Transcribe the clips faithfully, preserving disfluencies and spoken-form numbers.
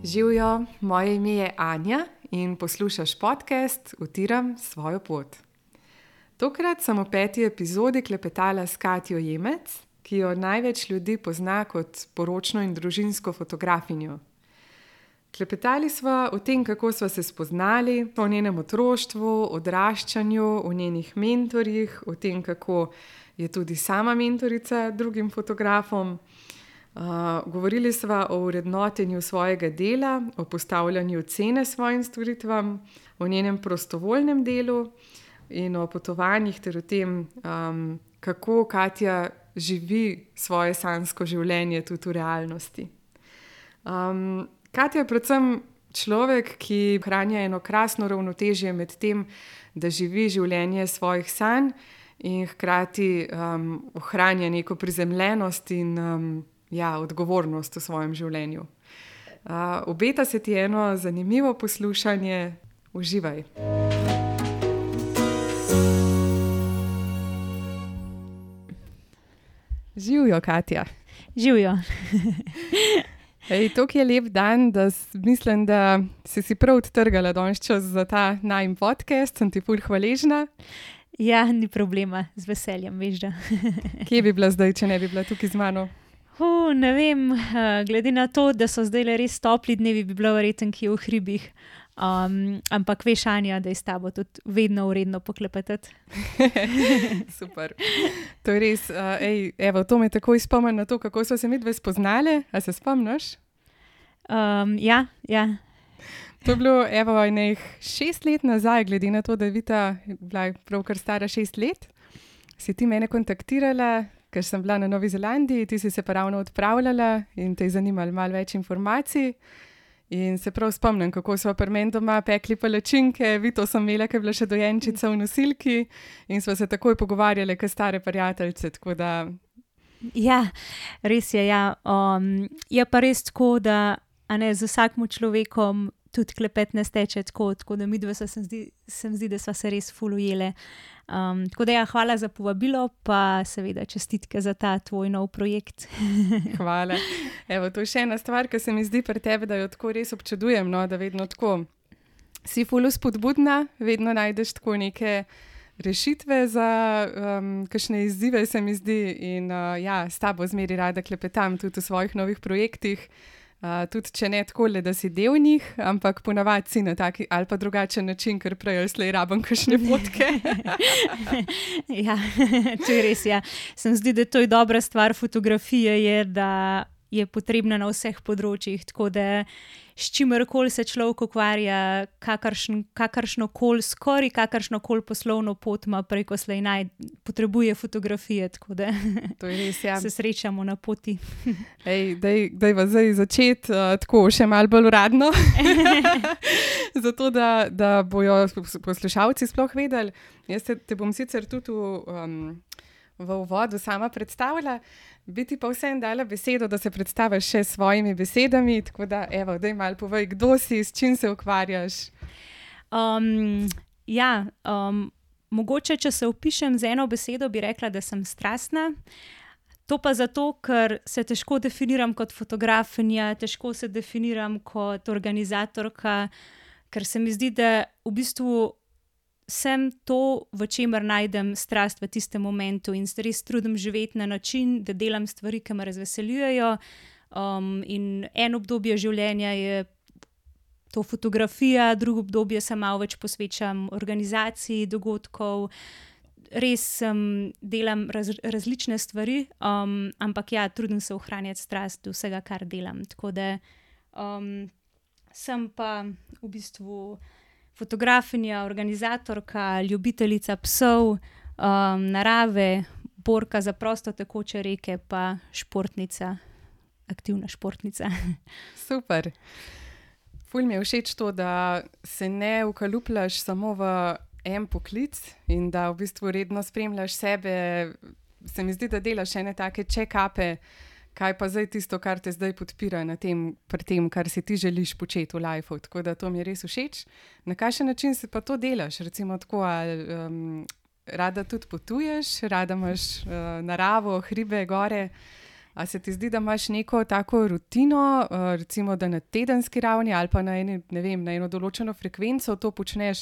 Živjo, moje ime je Anja in poslušaš podcast Utiram svojo pot. Tokrat sem v peti epizodi klepetala s Katjo Jemec, ki jo največ ljudi pozna kot poročno in družinsko fotografinjo. Klepetali sva o tem, kako sva se spoznali, o njenem otroštvu, odraščanju, o njenih mentorjih, o tem, kako je tudi sama mentorica drugim fotografom. Uh, govorili sva o vrednotenju svojega dela, o postavljanju cene svojim storitvam, o njenem prostovoljnem delu in o potovanjih ter o tem, um, kako Katja živi svoje sanjsko življenje tudi v realnosti. Um, Katja je predvsem človek, ki ohranja eno krasno ravnotežje med tem, da živi življenje svojih sanj in hkrati um, ohranja neko prizemljenost in um, ja, odgovornost v svojem življenju. Uh, obeta se ti eno zanimivo poslušanje. Uživaj. Živjo, Katja. Živjo. Ej, to je lep dan, da mislim, da si si prav odtrgala danes čas za ta najin podcast. Sem ti ful hvaležna. Ja, ni problema, z veseljem, veš da. Kje bi bila zdaj, če ne bi bila tukaj z mano? Uh, ne vem, uh, glede na to, da so zdaj res topli dnevi, bi bila verjetno kje v hribih. Um, ampak veš, Anja, da je s tabo tudi vedno uredno poklepetati. Super. To je res, uh, ej, evo, to me takoj spomni na to, kako so se midve spoznale. A se spomniš? Um, ja, ja. To je bilo, evo, enih šest let nazaj, glede na to, da je Vita bila pravkar stara šest let. Si ti mene kontaktirala, ker sem bila na Novi Zelandiji, ti si se pa ravno odpravljala in te je zanimalo malo več informacij. In se prav spomnim, kako smo pri meni doma pekli palačinke, Vito sem imela, ker je bila še dojenčica v nosilki in smo se takoj pogovarjali, kot stare prijateljice, tako da... Ja, res je, ja. Um, je pa res tako, da a ne, z vsakim človekom tudi klepet ne steče tako, tako da midva se mi zdi, se mi zdi, da sva se res ful ujele. Um, tako da ja, hvala za povabilo, pa seveda čestitke za ta tvoj nov projekt. Hvala. Evo, to je še ena stvar, ki se mi zdi pri tebi, da jo tako res občudujem, no, da vedno tako si ful spodbudna, vedno najdeš tako neke rešitve za um, kakšne izzive, se mi zdi, in uh, ja, s tabo zmeri rada klepetam tudi v svojih novih projektih. Uh, tudi če ne tako le, da si del njih, ampak ponavadi si na taki ali pa drugačen način, ker prej ali slej rabim kakšne fotke. Ja, to je res, ja. Se mi zdi, da to je dobra stvar fotografije, je, da je potrebna na vseh področjih, tako da s čimerkoli se človek ukvarja, kakršn, kakršno koli, skoraj kakršno koli poslovno pot ima preko slej naj, potrebuje fotografije, tako da to je res, ja. Se srečamo na poti. Ej, daj, dajva zdaj začeti uh, tako še malo bolj uradno, zato da, da bojo poslušalci sploh vedeli. Jaz te, te bom sicer tudi v, um, v uvodu sama predstavila, bi ti pa vsem dala besedo, da se predstaviš še s svojimi besedami, tako da, evo, daj malo povej, kdo si, s čim se ukvarjaš. Um, ja, um, mogoče, če se opišem z eno besedo, bi rekla, da sem strastna. To pa zato, ker se težko definiram kot fotografinja, težko se definiram kot organizatorka, ker se mi zdi, da v bistvu sem to, v čemer najdem strast v tistem momentu in se res trudim živeti na način, da delam stvari, ki me razveseljujejo. Um, in en obdobje življenja je to fotografija, drugo obdobje se malo več posvečam organizaciji dogodkov. Res um, delam raz, različne stvari, um, ampak ja, trudim se ohranjati strast do vsega, kar delam. Tako da um, sem pa v bistvu fotografinja, organizatorka, ljubiteljica psov, um, narave, borka za prosto tekoče reke, pa športnica, aktivna športnica. Super. Ful mi je všeč to, da se ne ukalupljaš samo v en poklic in da v bistvu redno spremljaš sebe. Se mi zdi, da delaš ene take check-upe, kaj pa zdaj tisto, kar te zdaj podpira na tem, pri tem, kar si ti želiš početi v lifeu. Tako da to mi je res všeč. Na kakšen način si pa to delaš? Recimo tako, ali um, rada tudi potuješ, rada imaš uh, naravo, hribe, gore. A se ti zdi, da imaš neko tako rutino, recimo, da na tedenski ravni ali pa na, eni, ne vem, na eno določeno frekvenco to počneš,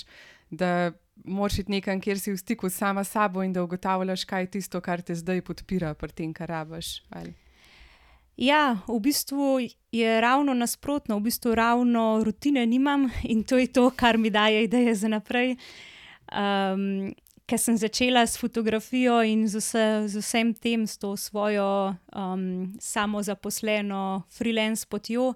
da moraš iti nekam, kjer si v stiku sama s sabo in da ugotavljaš, kaj je tisto, kar te zdaj podpira pri tem, kar rabiš? Ali? Ja, v bistvu je ravno nasprotno, v bistvu ravno rutine nimam in to je to, kar mi daje ideje za naprej. Um, ker sem začela s fotografijo in z, vse, z vsem tem, s to svojo um, samozaposleno freelance potjo,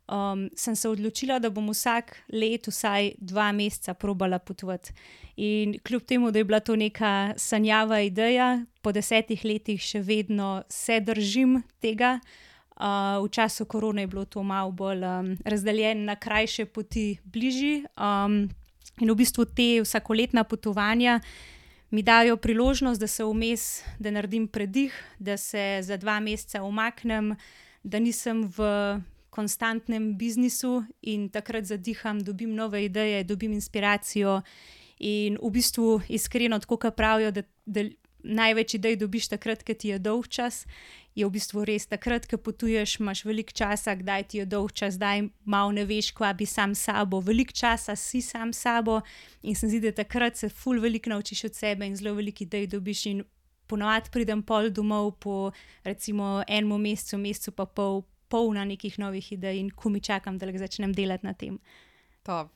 um, sem se odločila, da bom vsak let vsaj dva meseca probala potovati. In kljub temu, da je bila to neka sanjava ideja, po desetih letih še vedno se držim tega. Uh, v času korone je bilo to malo bolj um, razdeljeno na krajše poti bližji. Um, in v bistvu te vsakoletna potovanja mi dajo priložnost, da se vmes, da naredim predih, da se za dva meseca umaknem, da nisem v konstantnem biznisu in takrat zadiham, dobim nove ideje, dobim inspiracijo. In v bistvu iskreno, tako kot pravijo, da, da največ idej dobiš takrat, ko ti je dolg čas, je v bistvu res takrat, ko potuješ, imaš veliko časa, kdaj ti je dolg čas, kdaj malo ne veš, kva bi sam sabo, veliko časa si sam sabo in se zdi, da takrat se ful veliko naučiš od sebe in zelo veliko idej dobiš in ponovadi pridem pol domov po recimo enem mesecu, mesecu pa pol, polna nekih novih idej in ko mi čakam, da začnem delati na tem. Top.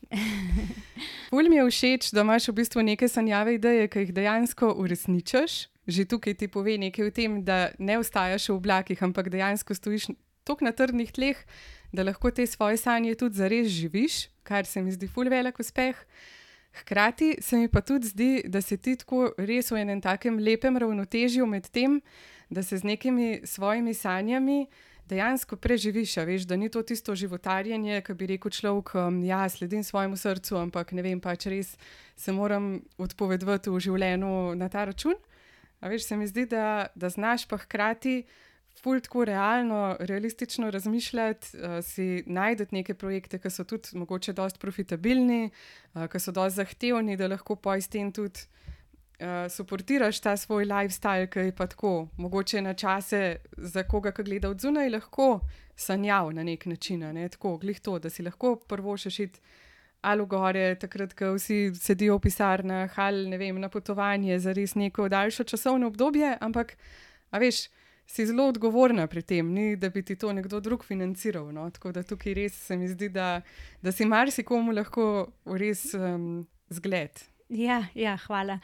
Ful mi je všeč, da imaš v bistvu neke sanjave ideje, ki jih dejansko uresničiš. Že tukaj ti pove nekaj o tem, da ne ostajaš v oblakih, ampak dejansko stojiš toliko na trdnih tleh, da lahko te svoje sanje tudi zares živiš, kar se mi zdi ful velik uspeh. Hkrati se mi pa tudi zdi, da se ti tako res v enem takem lepem ravnotežju med tem, da se z nekimi svojimi sanjami dejansko preživiš, a veš, da ni to tisto životarjenje, ki bi rekel človek, ja, sledim svojemu srcu, ampak ne vem, pač res se moram odpovedovati v življenju na ta račun. A veš, se mi zdi, da, da znaš pa hkrati ful tako realno, realistično razmišljati, uh, si najdeti neke projekte, ki so tudi mogoče dosti profitabilni, uh, ki so dosti zahtevni, da lahko po izten tudi uh, suportiraš ta svoj lifestyle, ki je pa tako, mogoče na čase za koga, ki gleda od zunaj, lahko sanjal na nek način, ne? Tako, glih to, da si lahko prvo še šit ali v gore, takrat, ko vsi sedijo v pisarnah, ali ne vem, na potovanje za res neko daljšo časovno obdobje, ampak, a veš, si zelo odgovorna pri tem, ni, da bi ti to nekdo drug financiral, no? Tako da tukaj res se mi zdi, da, da si marsikomu lahko res um, zgled. Ja, ja, hvala.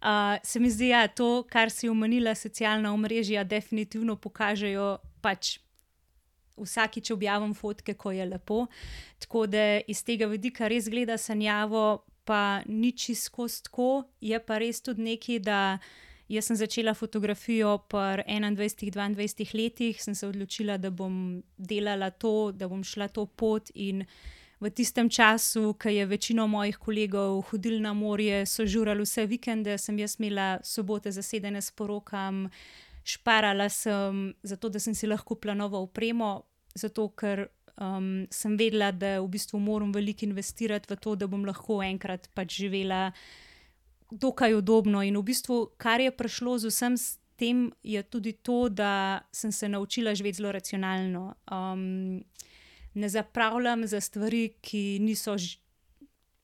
Uh, se mi zdi, ja, to, kar si omenila, socialna omrežja definitivno pokažejo pač vsakič objavim fotke, ko je lepo, tako da iz tega vidika res gleda sanjavo, pa ni čisto skozi tako, je pa res tudi nekaj, da jaz sem začela fotografijo pri enaindvajsetih, dvaindvajsetih letih, sem se odločila, da bom delala to, da bom šla to pot in v tistem času, ko je večino mojih kolegov hodili na morje, so žurali vse vikende, sem jaz imela sobote zasedene s porokam, šparala sem zato, da sem si lahko kupila novo opremo, zato ker um, sem vedela, da v bistvu moram veliko investirati v to, da bom lahko enkrat pač živela dokaj udobno. In v bistvu, kar je prišlo z vsem s tem, je tudi to, da sem se naučila živeti zelo racionalno. Um, ne zapravljam za stvari, ki niso ž-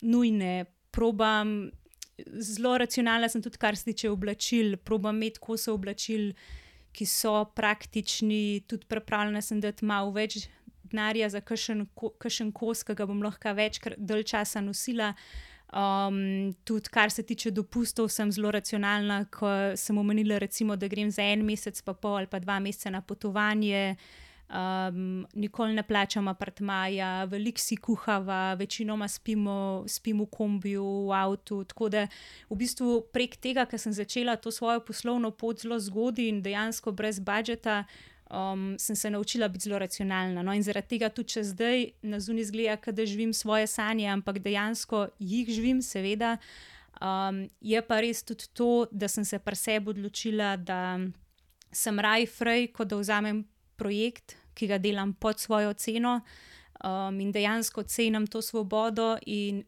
nujne, probam zelo racionalna sem tudi, kar se tiče oblačil, probam imeti kose oblačil, ki so praktični, tudi pripravljena sem dati malo več denarja za kakšen, kakšen kos, ki ga bom lahko več dalj časa nosila. Um, tudi kar se tiče dopustov, sem zelo racionalna, ko sem omenila recimo, da grem za en mesec pa pol ali pa dva meseca na potovanje. Um, nikoli ne plačam apartmaja, veliko si kuhava, večinoma spimo, spim v kombiju, v avtu, tako da v bistvu prek tega, ker sem začela to svojo poslovno pot zelo zgodaj in dejansko brez budžeta, um, sem se naučila biti zelo racionalna. No, in zaradi tega tudi če zdaj na zunaj izgleda, kot da živim svoje sanje, ampak dejansko jih živim, seveda. Um, je pa res tudi to, da sem se pri sebi odločila, da sem raj frej, kot da vzamem projekt, ki ga delam pod svojo ceno, um, in dejansko cenim to svobodo in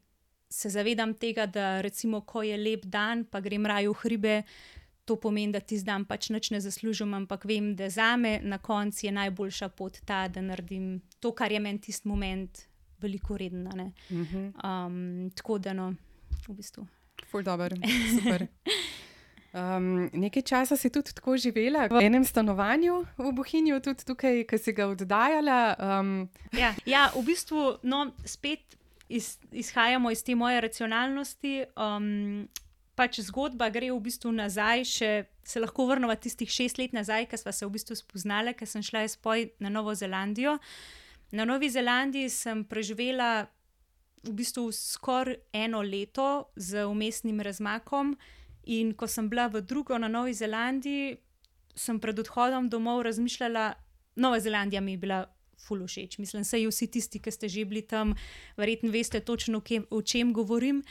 se zavedam tega, da recimo, ko je lep dan, pa grem raje v hribe, to pomeni, da ti zdaj pač nič ne zaslužim, ampak vem, da zame na koncu je najboljša pot ta, da naredim to, kar je meni tisti moment veliko redno. Um, tako da no, v bistvu. Ful dober, super. Um, nekaj časa si tudi tako živela v enem stanovanju v Bohinju, tudi tukaj, ki si ga oddajala. Um... Ja, ja, v bistvu no, spet iz, izhajamo iz te moje racionalnosti. Um, pač zgodba gre v bistvu nazaj, še se lahko vrnemo tistih šest let nazaj, ko sva se v bistvu spoznala, ker sem šla spoj na Novo Zelandijo. Na Novi Zelandiji sem preživela v bistvu skoraj eno leto z vmesnim razmakom. In ko sem bila v drugo na Novi Zelandiji, sem pred odhodom domov razmišljala, Nova Zelandija mi je bila ful všeč. Mislim, saj vsi tisti, ki ste že bili tam, verjetno veste točno, o čem govorim.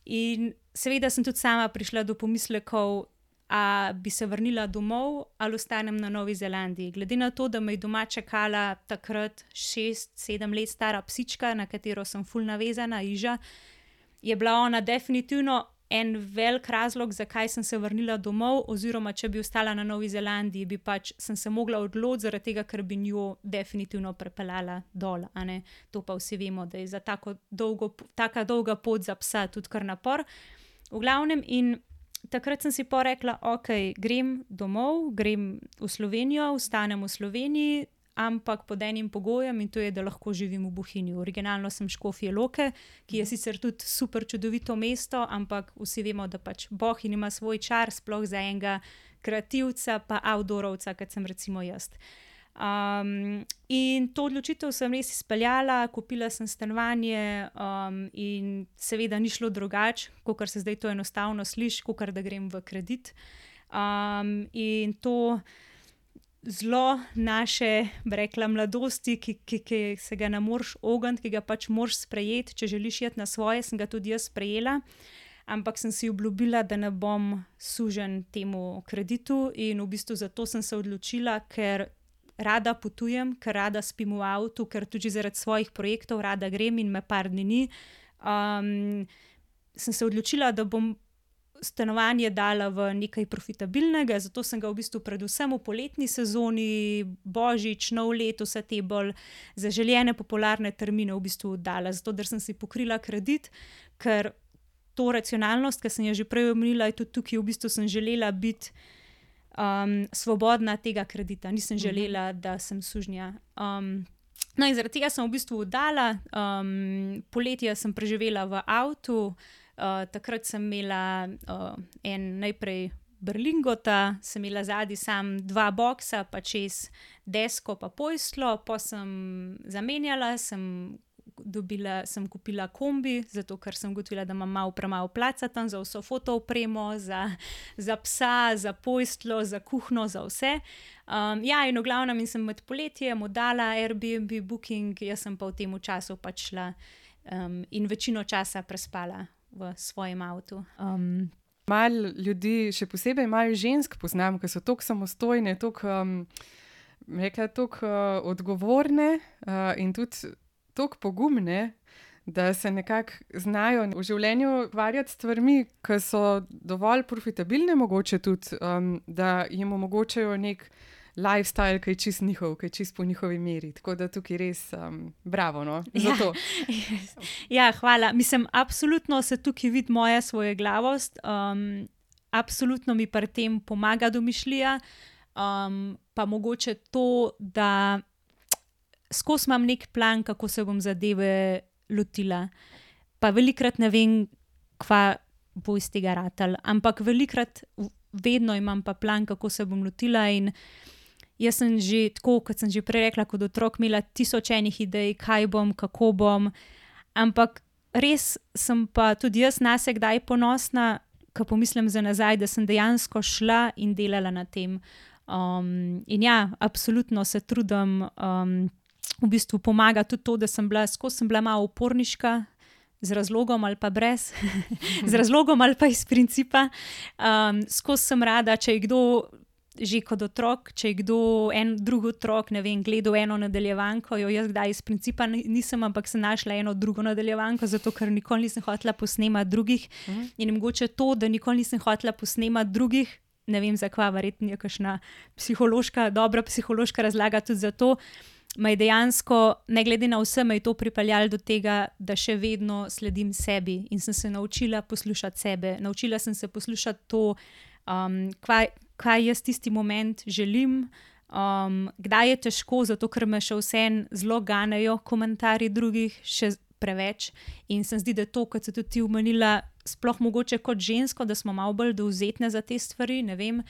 In seveda sem tudi sama prišla do pomislekov, a bi se vrnila domov ali ostanem na Novi Zelandiji. Glede na to, da me je doma čakala takrat šest, sedem let stara psička, na katero sem ful navezana, Iža, je bila ona definitivno en velik razlog, zakaj sem se vrnila domov, oziroma če bi ostala na Novi Zelandiji, bi pač sem se mogla odločiti zaradi tega, ker bi njo definitivno prepeljala dol. A ne? To pa vsi vemo, da je za tako dolgo, taka dolga pot za psa tudi kar napor. V glavnem in takrat sem si pa rekla, ok, grem domov, grem v Slovenijo, ostanem v Sloveniji, ampak pod enim pogojem in to je, da lahko živim v Bohinju. Originalno sem Škofje Loke, ki je sicer tudi super čudovito mesto, ampak vsi vemo, da pač Bohinj ima svoj čar, sploh za enega kreativca pa outdoorovca, kot sem recimo jaz. Um, in to odločitev sem res izpeljala, kupila sem stanovanje um, in seveda ni šlo drugače, kakor se zdaj to enostavno sliši, kakor da grem v kredit. Um, in to zelo naše, bi rekla, mladosti, ki, ki, ki se ga ne moreš ogniti, ki ga pač moraš sprejeti, če želiš iti na svoje, sem ga tudi jaz sprejela, ampak sem si obljubila, da ne bom sužen temu kreditu in v bistvu zato sem se odločila, ker rada potujem, ker rada spim v avtu, ker tudi zaradi svojih projektov rada grem in me par dni ni. Um, sem se odločila, da bom stanovanje dala v nekaj profitabilnega, zato sem ga v bistvu predvsem v poletni sezoni, božič, nov let, vse te bolj zaželjene popularne termine v bistvu dala, zato da sem si pokrila kredit, ker to racionalnost, ki sem jo že prej omenila, je tudi tukaj v bistvu sem želela biti um, svobodna tega kredita, nisem želela, da sem sužnja. Um, no in zaradi tega sem v bistvu oddala, um, poletje sem preživela v avtu. Uh, takrat sem imela uh, en najprej berlingota, sem imela zadnji sam dva boksa, pa čez desko pa pojslo, pa sem zamenjala, sem, dobila, sem kupila kombi, zato ker sem ugotovila, da imam malo premalo placa tam za vso fotoopremo, za, za psa, za pojslo, za kuhno, za vse. Um, ja, in v glavnem in sem med poletjem oddala Airbnb booking, jaz sem pa v tem času pač šla um, in večino časa prespala v svojem avtu. Um, Malo ljudi, še posebej malo žensk poznam, ki so tako samostojne, tako, um, rekla, tako uh, odgovorne uh, in tudi tako pogumne, da se nekako znajo v življenju ukvarjati s stvarmi, ki so dovolj profitabilne, mogoče tudi, um, da jim omogočajo nek lifestyle, ki je čist njihov, ki je čist po njihovi meri. Tako da tukaj res um, bravo, no, za to. Ja, ja, hvala. Mislim, absolutno se tukaj vidi moja svojeglavost. Um, absolutno mi pri tem pomaga domišljija. Um, pa mogoče to, da skozi imam nek plan, kako se bom zadeve lotila. Pa velikrat ne vem, kva bo iz tega ratal. Ampak velikrat vedno imam pa plan, kako se bom lotila in jaz sem že tako, kot sem že prej rekla, kot otrok imela tisoč enih idej, kaj bom, kako bom, ampak res sem pa tudi jaz nase kdaj ponosna, ko pomislim za nazaj, da sem dejansko šla in delala na tem. Um, in ja, absolutno se trudim, um, v bistvu pomaga tudi to, da sem bila, skozi sem bila malo uporniška, z razlogom ali pa brez, z razlogom ali pa iz principa. Um, skozi sem rada, če je kdo že kot otrok, če je kdo, en drug otrok, ne vem, gledal eno nadaljevanko, jo jaz kdaj iz principa nisem, ampak sem našla eno drugo nadaljevanko, zato ker nikoli nisem hotela posnemati drugih. Mm. In mogoče to, da nikoli nisem hotela posnemati drugih, ne vem zakva, verjetno je kakšna psihološka, dobra psihološka razlaga tudi za to, me je dejansko, ne glede na vse, me je to pripeljalo do tega, da še vedno sledim sebi in sem se naučila poslušati sebe. Naučila sem se poslušati to, um, kaj, kaj jaz tisti moment želim, um, kdaj je težko, zato ker me še vseeno zelo ganejo komentarji drugih, še preveč. In se zdi, da to, kot se tudi ti omenila, sploh mogoče kot žensko, da smo malo bolj dovzetne za te stvari, ne vem.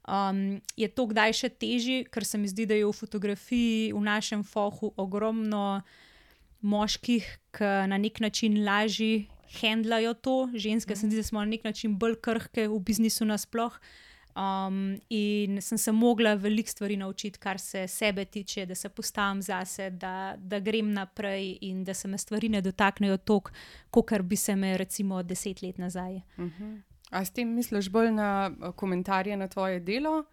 Um, je to kdaj še težje, ker se mi zdi, da je v fotografiji v našem fohu ogromno moških, ki na nek način lažje handlajo to. Ženske se mi zdi, da smo na nek način bolj krhke v biznisu nasploh. Um, in sem se mogla veliko stvari naučiti, kar se sebe tiče, da se postavim zase, da, da grem naprej in da se me stvari ne dotaknejo toliko, kakor bi se me recimo deset let nazaj. Uh-huh. A s tem misliš bolj na komentarje na tvoje delo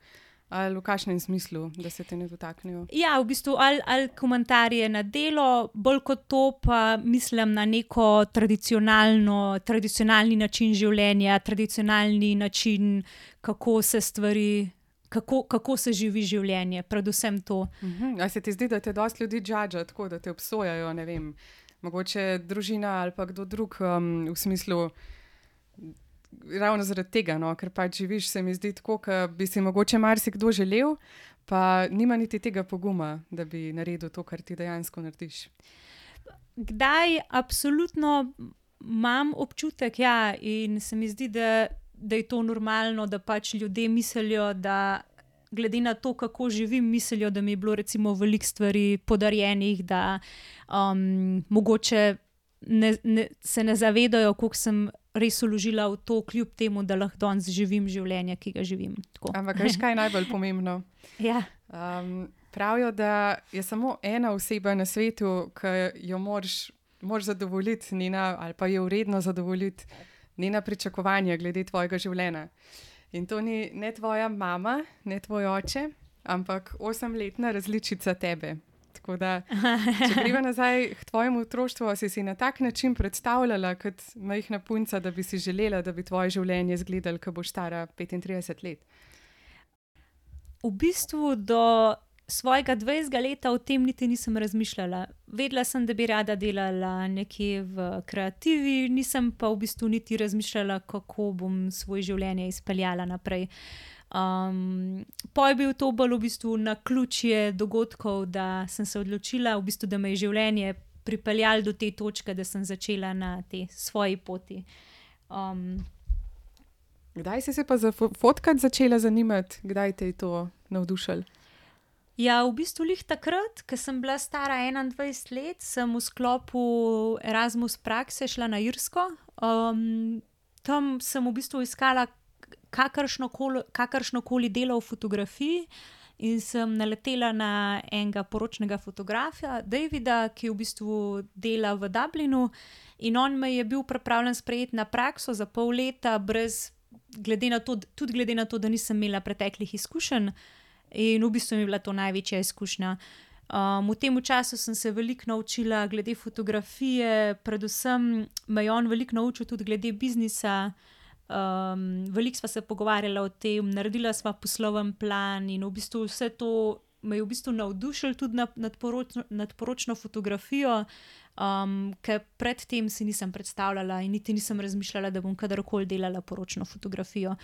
ali v kakšnem smislu, da se te ne dotaknejo? Ja, v bistvu ali, ali komentarje na delo, bolj kot to pa mislim na neko tradicionalno, tradicionalni način življenja, tradicionalni način, kako se stvari, kako, kako se živi življenje, predvsem to. Uh-huh. A se ti zdi, da te dosti ljudi judge, tako da te obsojajo, ne vem, mogoče družina ali pa kdo drug, um, v smislu ravno zaradi tega, no, ker pač živiš, se mi zdi tako, da bi si mogoče marsikdo želel, pa nima niti tega poguma, da bi naredil to, kar ti dejansko narediš. Kdaj absolutno imam občutek, ja, in se mi zdi, da, da je to normalno, da pač ljudje mislijo, da glede na to, kako živim, mislijo, da mi je bilo recimo veliko stvari podarjenih, da um, mogoče ne, ne, se ne zavedajo, koliko sem res vložila v to, kljub temu, da lahko danes živim življenje, ki ga živim. Tako. Ampak veš, kaj je najbolj pomembno? Ja. Um, pravijo, da je samo ena oseba na svetu, ki jo moraš, moraš zadovoljiti, njena, ali pa je vredno zadovoljiti njena pričakovanja glede tvojega življenja. In to ni ne tvoja mama, ne tvoj oče, ampak osemletna različica tebe. Tako da, če greva nazaj k tvojemu otroštvu, si si na tak način predstavljala kot majhna punca, da bi si želela, da bi tvoje življenje izgledalo, ko boš stara petintrideset let? V bistvu do svojega dvajsetega leta o tem niti nisem razmišljala. Vedela sem, da bi rada delala nekje v kreativi, nisem pa v bistvu niti razmišljala, kako bom svoje življenje izpeljala naprej. Um, po je bil to bolj v bistvu naključje dogodkov, da sem se odločila, v bistvu, da me je življenje pripeljalo do te točke, da sem začela na tej svoji poti. Um, Kdaj si se pa za fotkati začela zanimati? Kdaj te je to navdušilo? Ja, v bistvu lih takrat, ko sem bila stara enaindvajset let, sem v sklopu Erasmus prakse šla na Irsko. Um, tam sem v bistvu iskala kakršnokoli, kakršnokoli delo v fotografiji in sem naletela na enega poročnega fotografa, Davida, ki v bistvu dela v Dublinu, in on me je bil pripravljen sprejeti na prakso za pol leta, brez, glede na to, tudi glede na to, da nisem imela preteklih izkušenj, in v bistvu mi je bila to največja izkušnja. Um, v tem času sem se veliko naučila glede fotografije, predvsem me je on veliko naučil tudi glede biznisa. Um, veliko sva se pogovarjala o tem, naredila sva posloven plan in v bistvu vse to me je v bistvu navdušilo tudi nad, nad, poročno, nad poročno fotografijo, um, ker predtem si nisem predstavljala in niti nisem razmišljala, da bom kadarkoli delala poročno fotografijo.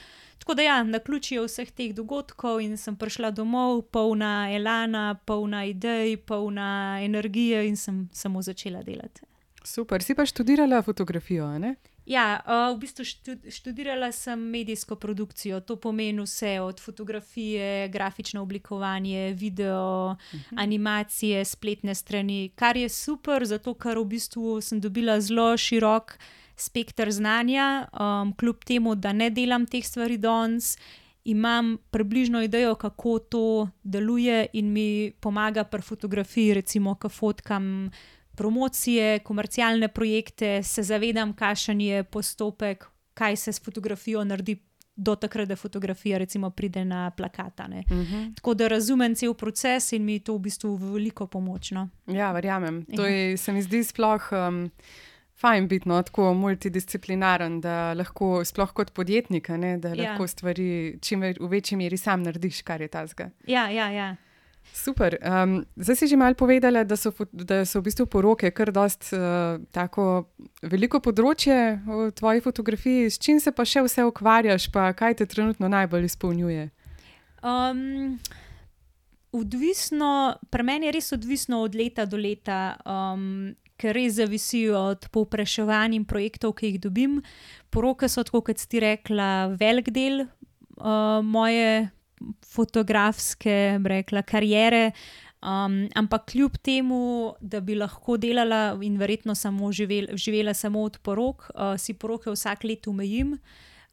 Tako da ja, naključje vseh teh dogodkov in sem prišla domov polna elana, polna idej, polna energije in sem samo začela delati. Super, si pa študirala fotografijo, ne? Ja, uh, v bistvu študirala sem medijsko produkcijo, to pomeni vse od fotografije, grafično oblikovanje, video, uh-huh. animacije, spletne strani, kar je super, zato ker v bistvu sem dobila zelo širok spekter znanja, um, kljub temu, da ne delam teh stvari danes, imam približno idejo, kako to deluje in mi pomaga pri fotografiji, recimo, ko fotkam promocije, komercialne projekte, se zavedam, kakšen je postopek, kaj se s fotografijo naredi do takrat, da fotografija recimo pride na plakata. Ne. Uh-huh. Tako da razumem cel proces in mi je to v bistvu veliko pomoč. No. Ja, verjamem. To je, se mi zdi sploh um, fajn biti no, tako multidisciplinaren, da lahko, sploh kot podjetnik, ne, da Ja. lahko stvari čim ve- v večji meri sam narediš, kar je tazga. Ja, ja, ja. Super. Um, zdaj si že malo povedala, da so, fo- da so v bistvu poroke kar dost uh, tako veliko področje v tvoji fotografiji. S čim se pa še vse ukvarjaš, pa kaj te trenutno najbolj izpolnjuje? Um, odvisno, pri meni je res odvisno od leta do leta, um, ker res zavisi od povpraševanj in projektov, ki jih dobim. Poroke so, tako kot si ti rekla, velik del uh, moje fotografske, bi rekla, kariere. Um, ampak kljub temu, da bi lahko delala in verjetno samo živel, živela samo od porok, uh, si poroke vsak let omejim.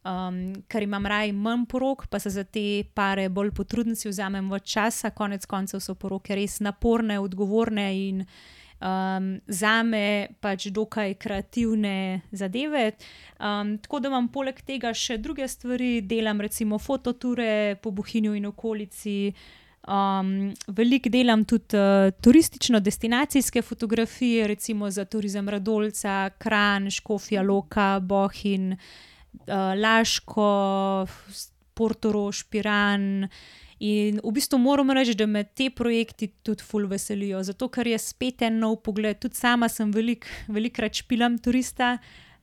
Um, ker imam raj manj porok, pa se za te pare bolj potrudim, si vzamem več časa. Konec koncev so poroke res naporne, odgovorne in um, zame pač dokaj kreativne zadeve. Um, tako da imam poleg tega še druge stvari, delam recimo fototure po Bohinju in okolici. Um, veliko delam tudi uh, turistično-destinacijske fotografije, recimo za Turizem Radolca, Kranj, Škofja Loka, Bohinj, Uh, Laško, Portorož, Piran. In v bistvu moram reči, da me te projekti tudi ful veselijo, zato ker je spet en nov pogled. Tudi sama sem velik, velikrat špilam turista,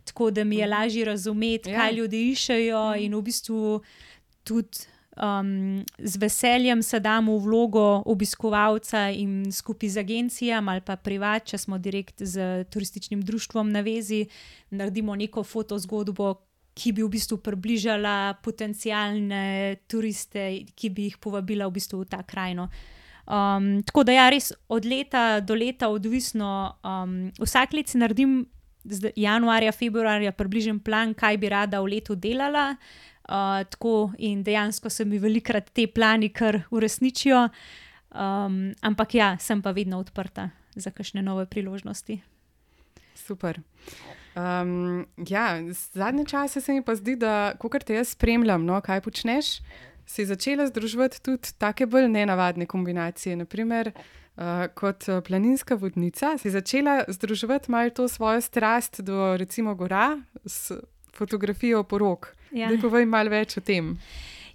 tako da mi je lažje razumeti, Ja. kaj ljudje iščejo, in v bistvu tudi um, z veseljem se dam v vlogo obiskovalca in skupaj z agencijami ali pa privat, če smo direkt z turističnim društvom na vezi, naredimo neko fotozgodbo, ki bi v bistvu približala potencialne turiste, ki bi jih povabila v bistvu v ta krajino. Um, tako da ja, res od leta do leta odvisno. Um, vsak let si naredim zdaj, januarja, februarja približen plan, kaj bi rada v letu delala. Uh, tako in dejansko se mi velikrat te plani kar uresničijo. Um, ampak ja, sem pa vedno odprta za kakšne nove priložnosti. Super. Um, ja, zadnje čase se mi pa zdi, da kakor te jaz spremljam, no, kaj počneš, si začela združevati tudi take bolj nenavadne kombinacije. Naprimer, uh, kot uh, planinska vodnica si začela združevati malo to svojo strast do recimo gora s fotografijo porok. Ja. Daj povej malo več o tem.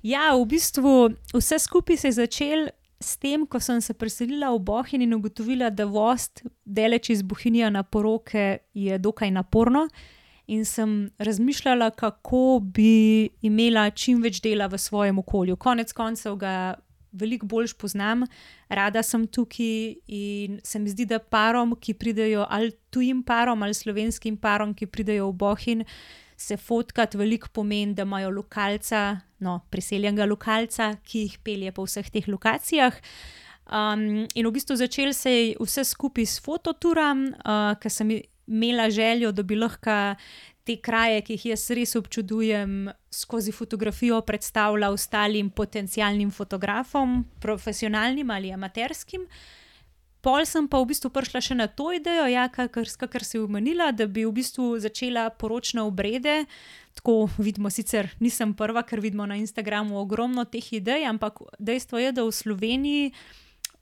Ja, v bistvu vse skupaj se je začelo s tem, ko sem se preselila v Bohinj in ugotovila, da voz daleč iz Bohinja na poroke je dokaj naporno, in sem razmišljala, kako bi imela čim več dela v svojem okolju. Konec koncev ga veliko bolj poznam, rada sem tukaj in se mi zdi, da parom, ki pridejo, ali tujim parom ali slovenskim parom, ki pridejo v Bohinj, se fotkati veliko pomeni, da imajo lokalca, no, priseljenega lokalca, ki jih pelje po vseh teh lokacijah. Um, in v bistvu začel se je vse skupaj s fototuram, uh, ker sem imela željo, da bi lahko te kraje, ki jih jaz res občudujem, skozi fotografijo predstavila ostalim potencialnim fotografom, profesionalnim ali amaterskim. Pol sem pa v bistvu prišla še na to idejo, ja, kakor, kakor si omenila, da bi v bistvu začela poročne obrede. Tako vidimo, sicer nisem prva, ker vidimo na Instagramu ogromno teh idej, ampak dejstvo je, da v Sloveniji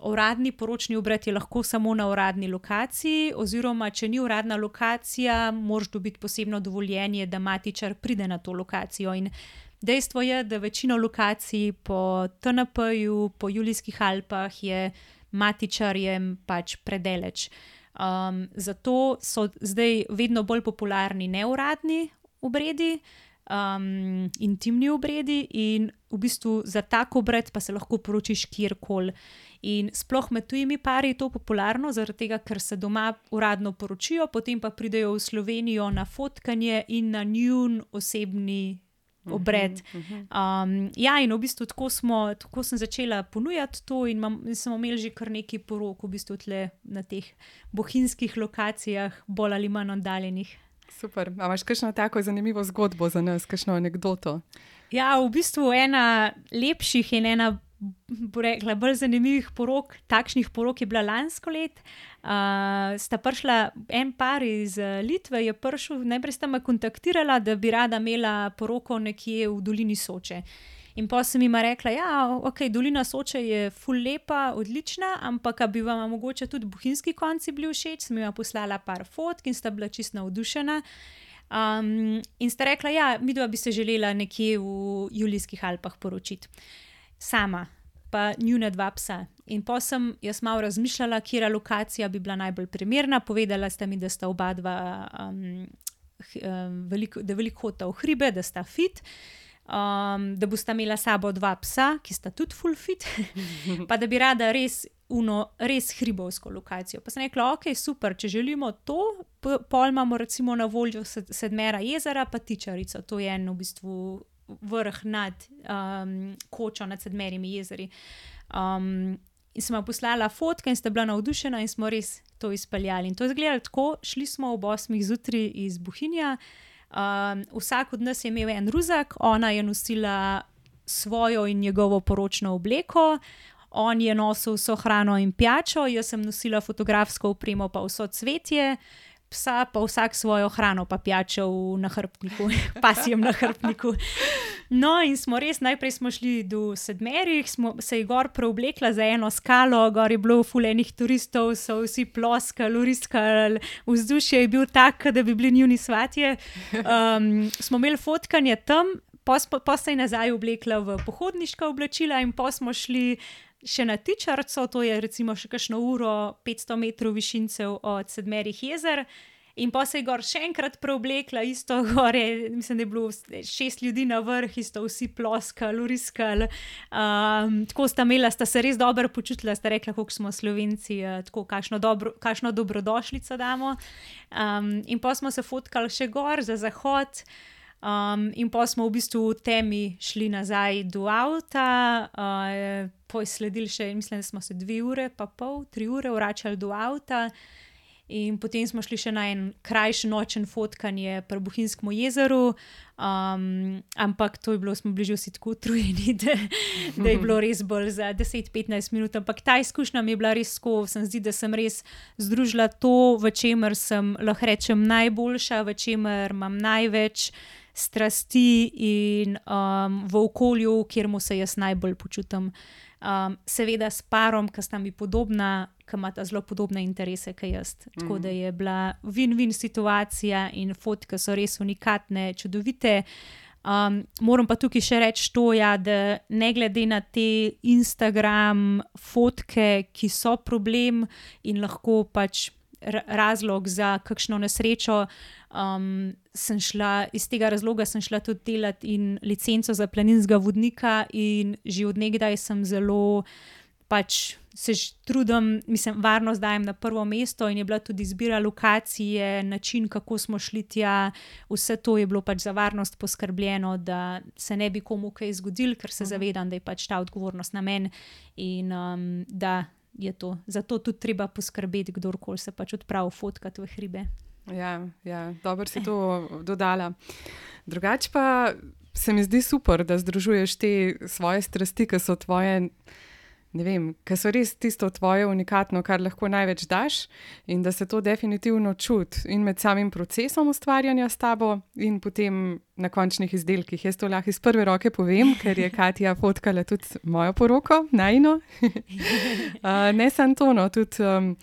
uradni poročni obred je lahko samo na uradni lokaciji, oziroma če ni uradna lokacija, moraš dobiti posebno dovoljenje, da matičar pride na to lokacijo. In dejstvo je, da večino lokacij po T N P-ju, po Julijskih Alpah je matičarjem pač predaleč. Um, zato so zdaj vedno bolj popularni neuradni obredi, um, intimni obredi, in v bistvu za tak obred pa se lahko poročiš kjerkoli. In sploh med tujimi pari je to popularno, zaradi tega, ker se doma uradno poročijo, potem pa pridejo v Slovenijo na fotkanje in na njun osebni obred. Um, ja, in v bistvu tako, smo, tako sem začela ponujati to, in, mam, in smo imeli že kar nekaj porok v bistvu tle na teh bohinjskih lokacijah, bolj ali manj oddaljenih. Super. A imaš kakšno tako zanimivo zgodbo za nas, kakšno anekdoto? Ja, v bistvu ena lepših in ena, bo rekla, bolj zanimivih porok, takšnih porok je bila lansko let. Uh, sta prišla en par iz Litve, je prišel, najprej sta me kontaktirala, da bi rada imela poroko nekje v dolini Soče. In pa sem jima rekla, ja, ok, dolina Soče je ful lepa, odlična, ampak a bi vam mogoče tudi bohinjski konci bili všeč, sem jima poslala par fotk in sta bila čisto navdušena. Um, in sta rekla, ja, midva bi se želela nekje v Julijskih Alpah poročiti. Sama, pa njuna dva psa. In pa sem jaz malo razmišljala, katera lokacija bi bila najbolj primerna. Povedala sta mi, da sta oba dva, um, um, veliko, da veliko hodita v hribe, da sta fit, um, da bosta imela sabo dva psa, ki sta tudi full fit, pa da bi rada res, uno, res hribovsko lokacijo. Pa sem rekla, ok, super, če želimo to, pol imamo recimo na voljo Sedmera jezera pa Tičarico. To je en v bistvu vrh nad um, kočo, nad Sedmerimi jezeri. Um, in sem vam poslala fotke in sta bila navdušena in smo res to izpeljali. In to je izgledalo tako, šli smo ob osmih zjutraj iz Bohinja, um, vsak od nas je imel en ruzak, ona je nosila svojo in njegovo poročno obleko, on je nosil vso hrano in pijačo, jaz sem nosila fotografsko opremo pa vso cvetje, psa pa vsak svojo hrano pa pijačo v nahrbtniku, pasjem nahrbtniku. No in smo res, najprej smo šli do Sedmerih, smo se je gor preoblekla za eno skalo, gor je bilo ful enih turistov, so vsi ploskali, uriskali, vzdušje je bil tak, da bi bili njuni svatje. Um, smo imeli fotkanje tam, pa, pa se je nazaj oblekla v pohodniška oblačila in pa smo šli še na Tičarico, to je recimo še kakšno uro, petsto metrov višincev od Sedmerih jezer. In pa se je gor še enkrat preoblekla, isto gore, mislim, da je bilo šest ljudi na vrh, isto vsi ploskali, uriskali. Um, tako sta imela, sta se res dobro počutila, sta rekla, koliko smo Slovenci, tako kakšno, dobro, kakšno dobrodošlico damo. Um, in pa smo se fotkali še gor za zahod. Um, in pa smo v bistvu v temi šli nazaj do avta, uh, poj sledili še, mislim, da smo se dve ure pa pol, tri ure vračali do avta in potem smo šli še na en krajši nočen fotkanje pri Bohinjskem jezeru, um, ampak to je bilo, smo bili že vsi tako utrujeni, da, da je bilo res bolj za deset do petnajst minut, ampak ta izkušnja mi je bila res tako, sem zdi, da sem res združila to, v čemer sem, lahko rečem, najboljša, v čemer imam največ strasti in um, v okolju, kjer mu se jaz najbolj počutim. Um, seveda s parom, ki sta mi podobna, ki imata zelo podobne interese, kot jaz. Mm. Tako da je bila win-win situacija in fotke so res unikatne, čudovite. Um, moram pa tukaj še reči to, ja, da ne glede na te Instagram fotke, ki so problem in lahko pač razlog za kakšno nesrečo, um, sem šla, iz tega razloga sem šla tudi delati in licenco za planinskega vodnika in že od nekdaj sem zelo pač se trudim, mislim, varnost dajem na prvo mesto in je bila tudi izbira lokacije, način, kako smo šli tja, vse to je bilo pač za varnost poskrbljeno, da se ne bi komu kaj zgodilo, ker se zavedam, da je pač ta odgovornost na meni in um, da je to. Zato tudi treba poskrbeti, kdorkoli se pač odpravi fotkati v hribe. Ja, ja, dobro si to dodala. Drugače pa se mi zdi super, da združuješ te svoje strasti, ki so tvoje, ne vem, ki so res tisto tvoje unikatno, kar lahko največ daš in da se to definitivno čuti in med samim procesom ustvarjanja s tabo in potem na končnih izdelkih. Jaz to lahko iz prve roke povem, ker je Katja fotkala tudi mojo poroko, najino. uh, ne samo to, no, tudi um,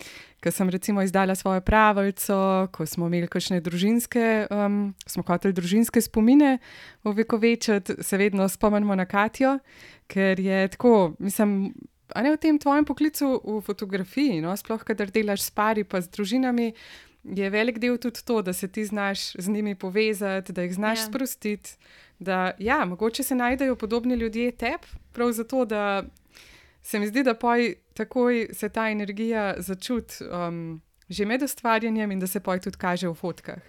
ko sem recimo izdala svojo pravljico, ko smo imeli kakšne družinske, um, smo hoteli družinske spomine ovekovečiti, se vedno spomnimo na Katjo, ker je tako, mislim, a ne v tem tvojem poklicu v fotografiji, no, sploh kadar delaš s pari pa z družinami, je velik del tudi to, da se ti znaš z njimi povezati, da jih znaš yeah. sprostiti, da ja, mogoče se najdejo podobni ljudje tebi, prav zato, da se mi zdi, da poj takoj se ta energija začuti um, že med ustvarjanjem in da se poj tudi kaže v fotkah.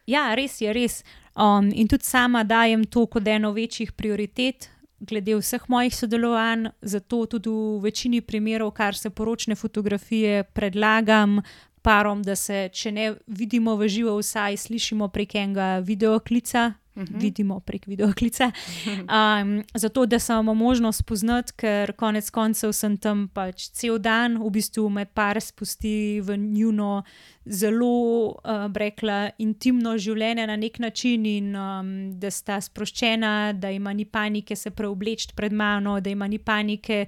Ja, res je, res. Um, in tudi sama dajem to kot eno večjih prioritet glede vseh mojih sodelovanj, zato tudi v večini primerov, kar se poročne fotografije, predlagam parom, da se, če ne vidimo v živo, vsaj slišimo prek enega videoklica, uh-huh. vidimo prek videoklica. Um, zato, da se imamo možnost spoznati, ker konec koncev sem tam pač cel dan, v bistvu me par spusti v njuno zelo, uh, rekla, intimno življenje na nek način in um, da sta sproščena, da ima ni panike se preobleči pred mano, da ima ni panike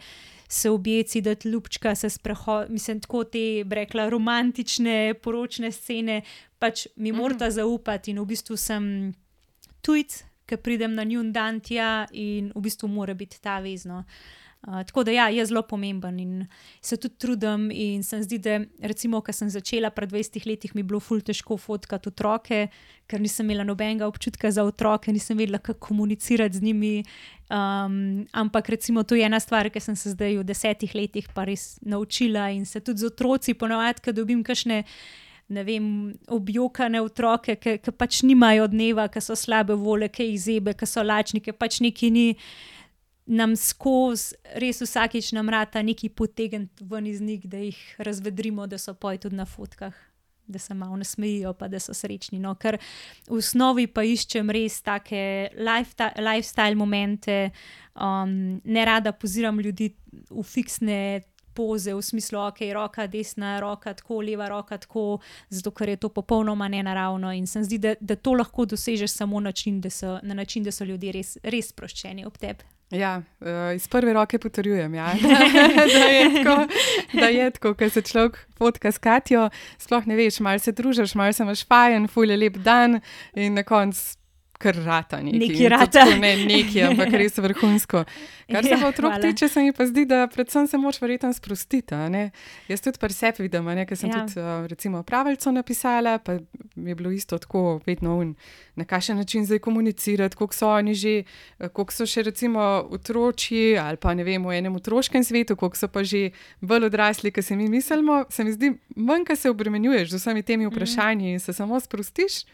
se objeci, da ljubčka se sprehod, mislim, tako te, rekla, romantične, poročne scene, pač mi mm. morata zaupati in v bistvu sem tujc, ki pridem na njun dan tja in v bistvu mora biti ta vezno. Uh, tako da ja, je zelo pomemben in se tudi trudim in se zdi, da recimo, ko sem začela pred dvajsetimi letih, mi je bilo ful težko fotkati otroke, ker nisem imela nobenega občutka za otroke, nisem vedela, kako komunicirati z njimi, um, ampak recimo to je ena stvar, ki sem se zdaj v desetih letih pa res naučila in se tudi z otroci ponovadi, ko dobim kakšne ne vem, objokane otroke, ki, ki pač nimajo dneva, ki so slabe vole, ki jih zebe, ki so lačni, ki pač neki ni, nam skozi res vsakič nam rata neki potegniti ven iz njih, da jih razvedrimo, da so poj tudi na fotkah, da se malo nasmejijo, pa da so srečni. No, ker v osnovi pa iščem res take lifestyle momente, um, ne rada poziram ljudi v fiksne poze, v smislu, ok, roka desna, roka tako, leva roka tako, zato ker je to popolnoma nenaravno in se zdi, da, da to lahko dosežeš samo način, da so, na način, da so ljudje res, res sproščeni ob tebi. Ja, uh, iz prve roke potrjujem, ja. da je tako, da je tako, ker se človek fotka s Katjo, sploh ne veš, malo se družiš, malo se imaš fajn, ful je lep dan in na koncu kar rata neki. Neki rata. Ne neki, ampak res vrhunsko. Kar se pa otrok tiče, se mi pa zdi, da predvsem se moč verjetno sprostiti. Ne? Jaz tudi pri sebi vidim, ker sem ja. tudi uh, recimo pravico napisala, pa mi je bilo isto tako vedno un, na kakšen način zdaj komunicirati, koliko so oni že, koliko so še recimo otroči ali pa ne vem, v enem otroškem svetu, koliko so pa že bolj odrasli, kot se mi mislimo, se mi zdi, manj, ko se obremenjuješ z vsemi temi vprašanji in se samo sprostiš,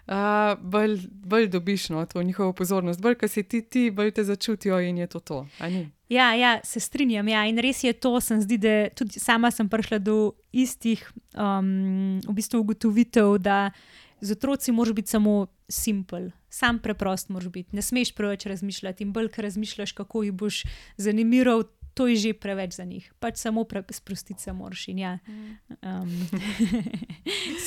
Uh, bolj, bolj dobiš no, to njihovo pozornost, bolj, ko si ti, ti bolj te začutijo in je to to. Ja, ja, se strinjam. Ja. In res je to, sem zdi, da tudi sama sem prišla do istih um, v bistvu ugotovitev, da z otroci moraš biti samo simpel, sam preprost moraš biti. Ne smeš preveč razmišljati in bolj, ker razmišljaš, kako jih boš zanimiral, to je že preveč za njih. Pač samo sprostiti se moraš in ja, um,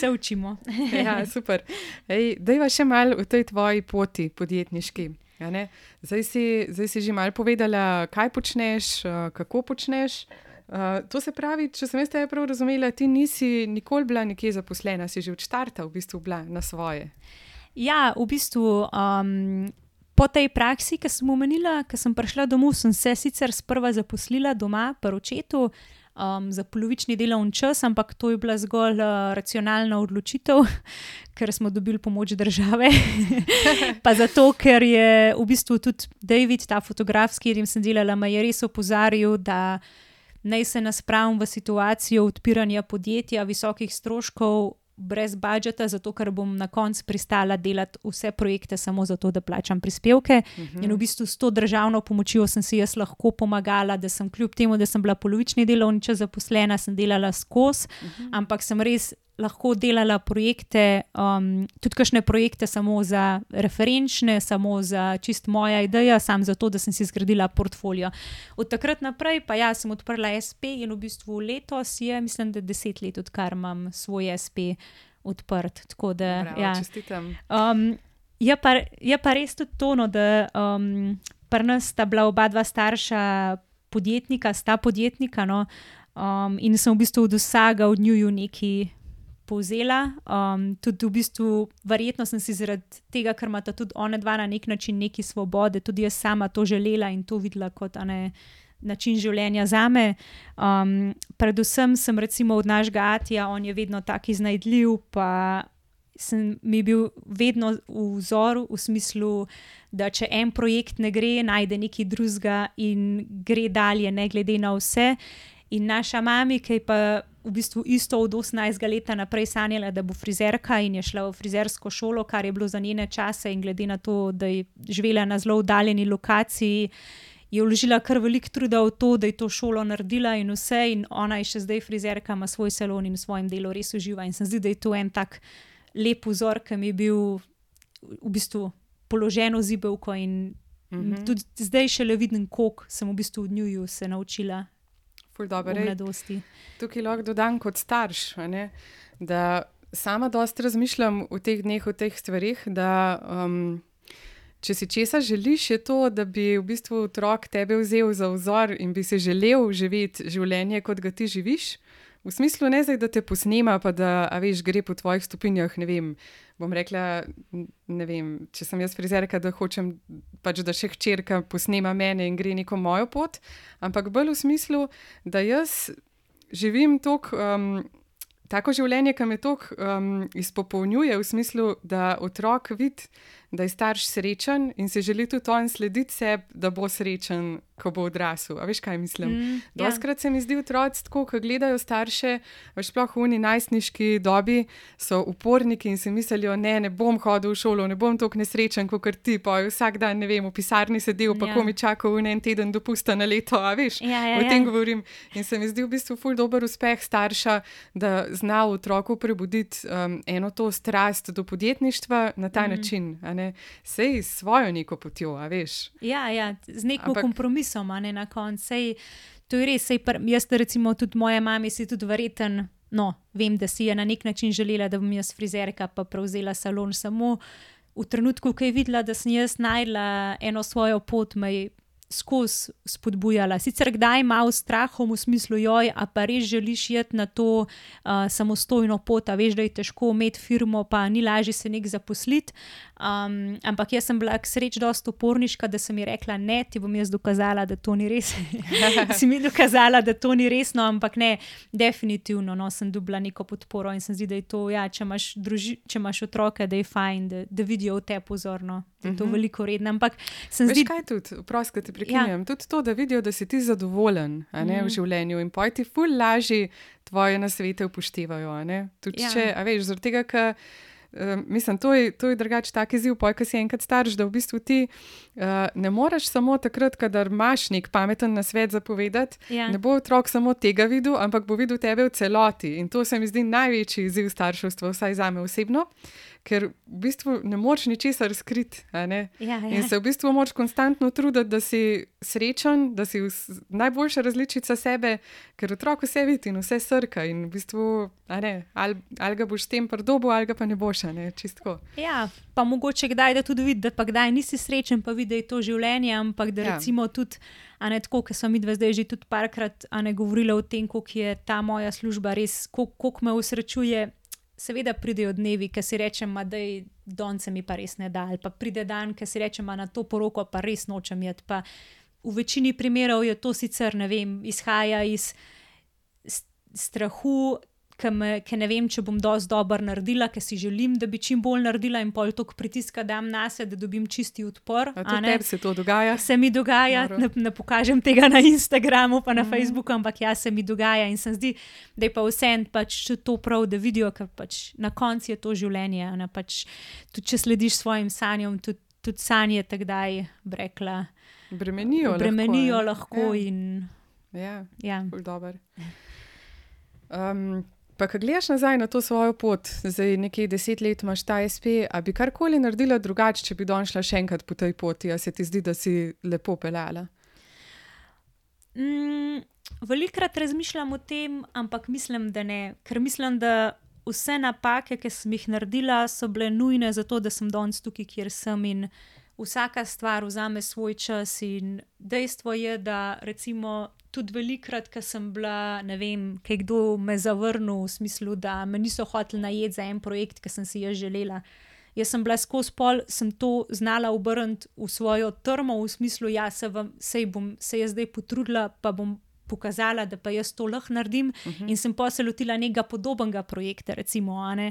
se učimo. Ja, super. Ej, dajva še malo v tej tvoji poti podjetniški. Ja, ne? Zdaj si, zdaj si že malo povedala, kaj počneš, kako počneš. Uh, to se pravi, če sem jaz tebe prav razumela, ti nisi nikoli bila nekje zaposlena, si že od štarta v bistvu bila na svoje. Ja, v bistvu um, po tej praksi, ki sem omenila, ko sem prišla domov, sem se sicer sprva zaposlila doma pri očetu um, za polovični delovni čas, ampak to je bila zgolj uh, racionalna odločitev, ker smo dobili pomoč države. Pa zato, ker je v bistvu tudi David, ta fotograf, s katerim sem delala, me je res opozarjal, da naj se naspravim v situacijo odpiranja podjetja, visokih stroškov, brez budžeta, zato ker bom na koncu pristala delati vse projekte samo zato, da plačam prispevke. Uh-huh. In v bistvu s to državno pomočjo sem si jaz lahko pomagala, da sem kljub temu, da sem bila polovični delovni čas zaposlena, sem delala skozi, uh-huh. ampak sem res lahko delala projekte, um, tudi kakšne projekte samo za referenčne, samo za čist moja ideja, sam zato, da sem si zgradila portfolio. Od takrat naprej pa ja, sem odprla es pe in v bistvu letos je, mislim, da deset let, odkar imam svoj es pe odprt. Tako da, Bravo, ja. čestitam. Um, je, pa, je pa res tudi to, no, da um, pri nas sta bila oba dva starša podjetnika, sta podjetnika, no, um, in sem v bistvu od vsega od njuju neki povzela. Um, tudi v bistvu verjetno sem si zaradi tega, ker imata tudi ona dva na nek način neki svobode, tudi jaz sama to želela in to videla kot ane, način življenja zame. Um, predvsem sem recimo od našega Atija, on je vedno tak iznajdljiv, pa sem mi bil vedno v vzoru, v smislu, da če en projekt ne gre, najde nekaj drugega in gre dalje, ne glede na vse. In naša mami, ki je pa v bistvu isto od osemnajstega leta naprej sanjala, da bo frizerka in je šla v frizersko šolo, kar je bilo za njene čase in glede na to, da je živela na zelo oddaljeni lokaciji, je vložila kar veliko truda v to, da je to šolo naredila in vse, in ona je še zdaj frizerka, ima svoj salon in v svojem delu res uživa in se zdi, da je to en tak lep vzor, ki mi je bil v bistvu položeno zibelko in mm-hmm. tudi zdaj šele vidim, koliko sem v bistvu v njuju se naučila Ful dober, v mladosti. Tukaj lahko dodam kot starš, a ne, da sama dosti razmišljam v teh dneh o teh stvarih, da um, če si česa želiš, je to, da bi v bistvu otrok tebe vzel za vzor in bi si želel živeti življenje, kot ga ti živiš. V smislu ne zdaj, da te posnema, pa da, a veš, gre po tvojih stopinjah, ne vem, bom rekla, ne vem, če sem jaz frizerka, da hočem pač, da še hčerka posnema mene in gre neko mojo pot, ampak bolj v smislu, da jaz živim tok, um, tako življenje, ki me tok um, izpopolnjuje, v smislu, da otrok vidi, da je starš srečen in se želi tudi on slediti sebi, da bo srečen, ko bo odrasel. A veš, kaj mislim? Mm, Doskrat ja. se mi zdi otroci tako, ko gledajo starše, veš, sploh v uni najstniški dobi, so uporniki in si mislijo, ne, ne bom hodil v šolo, ne bom toliko nesrečen, kot ti, pa vsak dan, ne vem, v pisarni sedel, pa ja. ko mi čakal en teden dopusta na leto, a veš, ja, ja, o tem ja. govorim. In se mi zdi v bistvu ful dober uspeh starša, da zna v otroku prebuditi um, eno to strast do podjetništva na ta mm. način, a ne. Sej svojo neko potjo, a veš. Ja, ja, z neko Ampak... kompromisom, a ne na koncu. Sej, to je res, sej pr... jaz recimo tudi moja mami si tudi verjeten, no, vem, da si je na nek način želela, da bom jaz frizerka pa prevzela salon, samo v trenutku, ko je videla, da sem jaz najdla eno svojo pot, me je skozi spodbujala. Sicer kdaj malo strahom v smislu, joj, a pa res želiš iti na to uh, samostojno pot, a veš, da je težko imeti firmo, pa ni lažje se nek zaposliti. Um, ampak jaz sem bila k sreči dosti uporniška, da sem ji rekla, ne, ti bom jaz dokazala, da to ni res. Si mi dokazala, da to ni resno, ampak ne, definitivno, no, sem dobila neko podporo in sem zdi, da je to, ja, če imaš, druži, če imaš otroke, da je fajn, da, da vidijo v te pozorno. Da je to uh-huh. veliko redno, ampak sem Veš zdi... kaj tudi, prost, da te prekinjam, ja. tudi to, da vidijo, da si ti zadovoljen, a ne, mm. v življenju in poj ti ful lažje tvoje nasvete upoštevajo, a ne. Tudi ja. če, a veš, zaradi tega, ker Uh, mislim, to je, to je drugač tak izziv, poj, ko si enkrat starš, da v bistvu ti uh, ne moreš samo takrat, kadar imaš nek pameten nasvet zapovedati, ja. ne bo otrok samo tega videl, ampak bo videl tebe v celoti in to se mi zdi največji izziv starševstva, vsaj zame osebno, ker v bistvu ne moreš ničesar skriti, a ne? Ja, ja. In se v bistvu moraš konstantno truditi, da si srečen, da si najboljša različica sebe, ker otrok vse vidi in vse srka in v bistvu, a ne, ali, ali ga boš s tem pridobil, ali ga pa ne boš, a ne, čistko. Ja, pa mogoče kdaj, da tudi vidi, da pa kdaj nisi srečen, pa vidi, da je to življenje, ampak da ja. recimo tudi, a ne tako, ker smo midve zdaj že tudi parkrat, a ne govorila o tem, koliko je ta moja služba res, koliko, koliko me usrečuje. Seveda pridejo dnevi, ki si rečem, da je donce mi pa res ne da, ali pa pride dan, ki si rečem, na to poroko pa res nočem jeti. Pa v večini primerov je to sicer, ne vem, izhaja iz strahu, ki ne vem, če bom dosti dobro naredila, ker si želim, da bi čim bolj naredila in pol toliko pritiska dam nase, da dobim čisti odpor. A to tebi se to dogaja? Se mi dogaja, ne, ne pokažem tega na Instagramu pa na mm. Facebooku, ampak ja, se mi dogaja in se zdi, da je pa vsem pač to prav, da vidijo, ker pač na koncu je to življenje. Ne, pač, tudi če slediš svojim sanjam, tudi, tudi sanje takdaj, brekla, bremenijo, bremenijo lahko, lahko ja. in... Ja, ja. ful dober. Um, Pa, ko gledaš nazaj na to svojo pot, zdaj nekaj deset let imaš ta es pe, a bi karkoli naredila drugače, če bi danes šla še enkrat po tej poti, a se ti zdi, da si lepo peljala? Mm, velikokrat razmišljam o tem, ampak mislim, da ne. Ker mislim, da vse napake, ki sem jih naredila, so bile nujne za to, da sem danes tukaj, kjer sem in vsaka stvar vzame svoj čas in dejstvo je, da recimo tudi velikokrat, ko sem bila, ne vem, kaj kdo me zavrnil v smislu, da me niso hoteli najeti za en projekt, ki sem si jaz želela. Jaz sem bila skozi pol, sem to znala obrniti v svojo trmo, v smislu, ja, se, vam, se, bom, se jaz zdaj potrudila, pa bom pokazala, da pa jaz to lahko naredim uh-huh. in sem pa se lotila nekega podobnega projekta, recimo, a ne.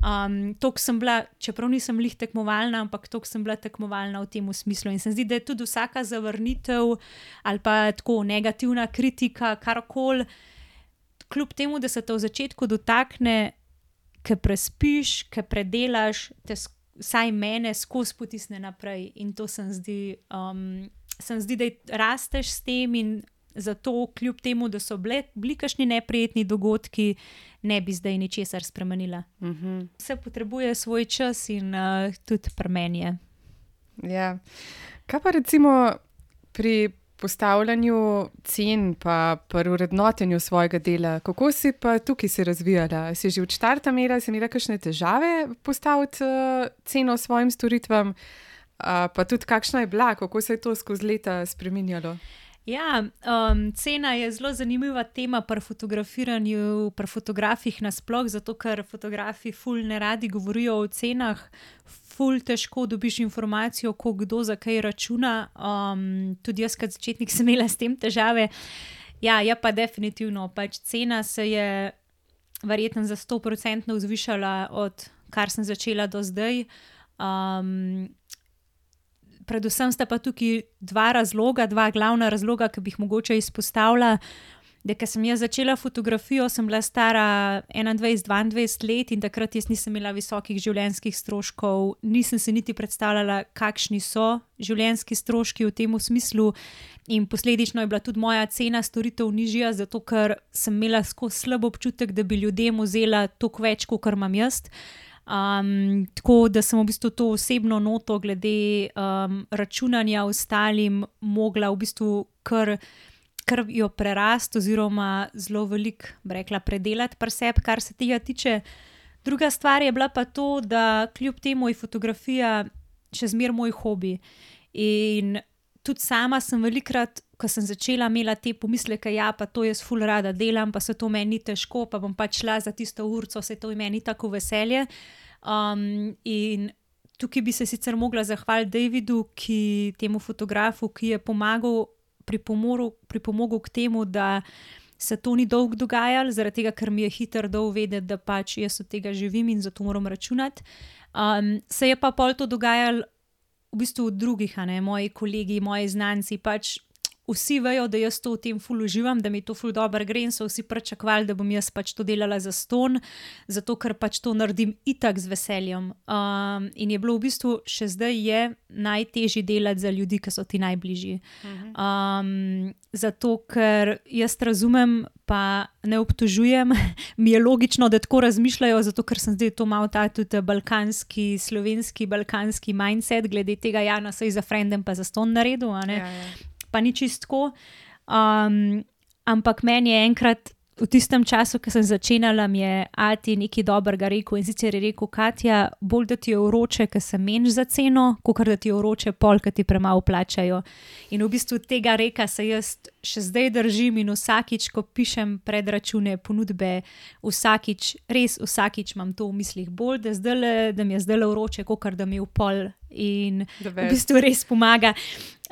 Um, toliko sem bila, čeprav nisem lih tekmovalna, ampak toliko sem bila tekmovalna v tem smislu in se zdi, da je tudi vsaka zavrnitev ali pa tako negativna kritika, karkoli, kljub temu, da se te v začetku dotakne, ke prespiš, ke predelaš, te vsaj mene skozi potisne naprej in to se zdi, um, se zdi, da rasteš s tem in zato, kljub temu, da so bile, bili kakšni neprijetni dogodki, ne bi zdaj ničesar spremenila. Uh-huh. Vse potrebuje svoj čas in uh, tudi pri meni je. Ja. Kaj pa recimo pri postavljanju cen pa pri vrednotenju svojega dela, kako si pa tukaj se razvijala? Si že od štarta imela, si imela kakšne težave postaviti uh, ceno svojim storitvam, uh, pa tudi kakšna je bila, kako se je to skozi leta spreminjalo? Ja, um, cena je zelo zanimiva tema pri fotografiranju, pri fotografih nasploh, zato ker fotografi ful ne radi govorijo o cenah, ful težko dobiš informacijo, ko kdo za kaj računa. Um, tudi jaz, kot začetnik, sem imela s tem težave. Ja, je pa definitivno, pač cena se je verjetno za sto procentov zvišala od kar sem začela do zdaj. Um, Predvsem sta pa tukaj dva razloga, dva glavna razloga, ki bi jih mogoče izpostavila. Da, ko sem jaz začela fotografijo, sem bila stara enaindvajset dvaindvajset let in takrat jaz nisem imela visokih življenjskih stroškov, nisem se niti predstavljala, kakšni so življenjski stroški v tem smislu, in posledično je bila tudi moja cena storitev nižja, zato ker sem imela skozi slab občutek, da bi ljudem vzela toliko več, kot imam jaz. Um, tako da sem v bistvu to osebno noto glede um, računanja ostalim mogla v bistvu kar, kar jo prerast oziroma zelo veliko, bi rekla, predelati pri sebi, kar se tega tiče. Druga stvar je bila pa to, da kljub temu je fotografija še zmeraj moj hobi. In tudi sama sem velikrat, ko sem začela, imela te pomisleke, ja, pa to jaz ful rada delam, pa se to meni ni težko, pa bom pač šla za tisto urco, se to meni tako veselje. Um, in tukaj bi se sicer mogla zahvaliti Davidu, ki, temu fotografu, ki je pomagal, pripomogel, pripomogel k temu, da se to ni dolgo dogajalo, zaradi tega, ker mi je hitro dal vedeti, da pač jaz od tega živim in zato moram računati. Um, se je pa pol to dogajalo v bistvu od drugih, a ne, moji kolegi, moji znanci, pač vsi vejo, da jaz to v tem ful uživam, da mi to ful dobro gre in so vsi pričakovali, da bom jaz pač to delala za ston, zato ker pač to naredim itak z veseljem. Um, in je bilo v bistvu še zdaj je najtežje delati za ljudi, ki so ti najbližji. Um, zato ker jaz razumem, pa ne obtožujem, mi je logično, da tako razmišljajo, zato ker sem zdaj to malo ta tudi balkanski, slovenski, balkanski mindset, glede tega, ja, na sej za frendem pa za ston naredil, a ne. Ja, ja. Pa ni čistko, um, ampak meni je enkrat v tistem času, ko sem začenjala, mi je ati nekaj dobrega rekel, in sicer je rekel: Katja, bolj da ti je vroče, ker se meniš za ceno, kakor da ti je vroče pol, ker ti premalo plačajo. In v bistvu tega reka se jaz še zdaj držim in vsakič, ko pišem predračune, ponudbe, vsakič, res vsakič imam to v mislih, bolj da, zdajle, da mi je zdajle vroče, kakor da mi je v pol, in v bistvu res pomaga.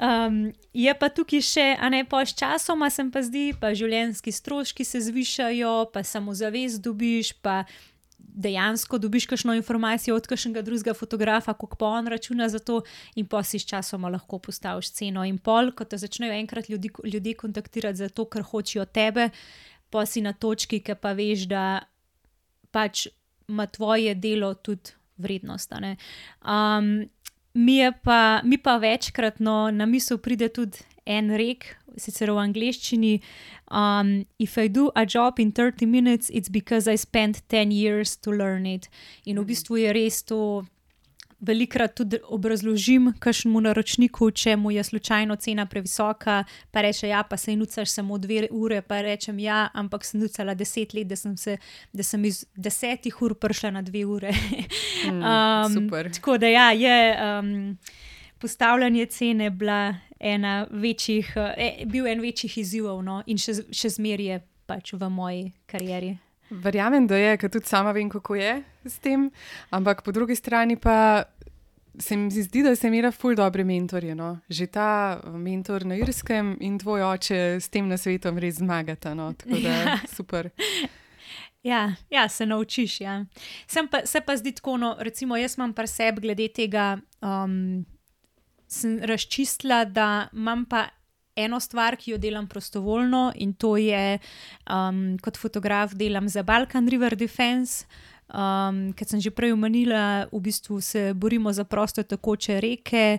Um, je pa tukaj še, a ne, pa s časoma sem pa zdi, pa življenjski stroški se zvišajo, pa samozavest dobiš, pa dejansko dobiš kakšno informacijo od kakšnega drugega fotografa, koliko pa on računa za to, in pa si s časoma lahko postaviš ceno. In pol, ko te začnejo enkrat ljudi, ljudi kontaktirati za to, ker hočejo tebe, pa si na točki, ki pa veš, da pač ima tvoje delo tudi vrednost, a ne. Um, Mi, pa, mi pa večkrat no, na misel pride tudi en rek, sicer v angleščini, um, if I do a job in thirty minutes, it's because I spent ten years to learn it. In v bistvu je res to, velikrat tudi obrazložim kakšnemu naročniku, če mu je slučajno cena previsoka, pa reče, ja, pa se nucaš samo dve ure, pa rečem, ja, ampak sem nucala deset let, da sem, se, da sem iz desetih ur prišla na dve ure. Mm, um, super. Tako da ja, je um, postavljanje cene bila ena večjih, eh, bil en večjih izzivov, no, in še, še zmeraj je pač v moji karieri. Verjamem, da je, ker tudi sama vem, kako je s tem, ampak po drugi strani pa se mi zdi, da sem imela ful dobre mentorje. No? Že ta mentor na Irskem in tvoj oče s tem nasvetom res zmagata. No? Tako da ja. Super. Ja, ja, se naučiš. Ja. Sem pa, se pa zdi tako, no, recimo jaz imam pri sebi glede tega, um, sem razčistila, da imam pa eno stvar, ki jo delam prostovoljno, in to je, um, kot fotograf delam za Balkan River Defense, um, ker sem že prej omenila, v bistvu se borimo za prosto tekoče reke,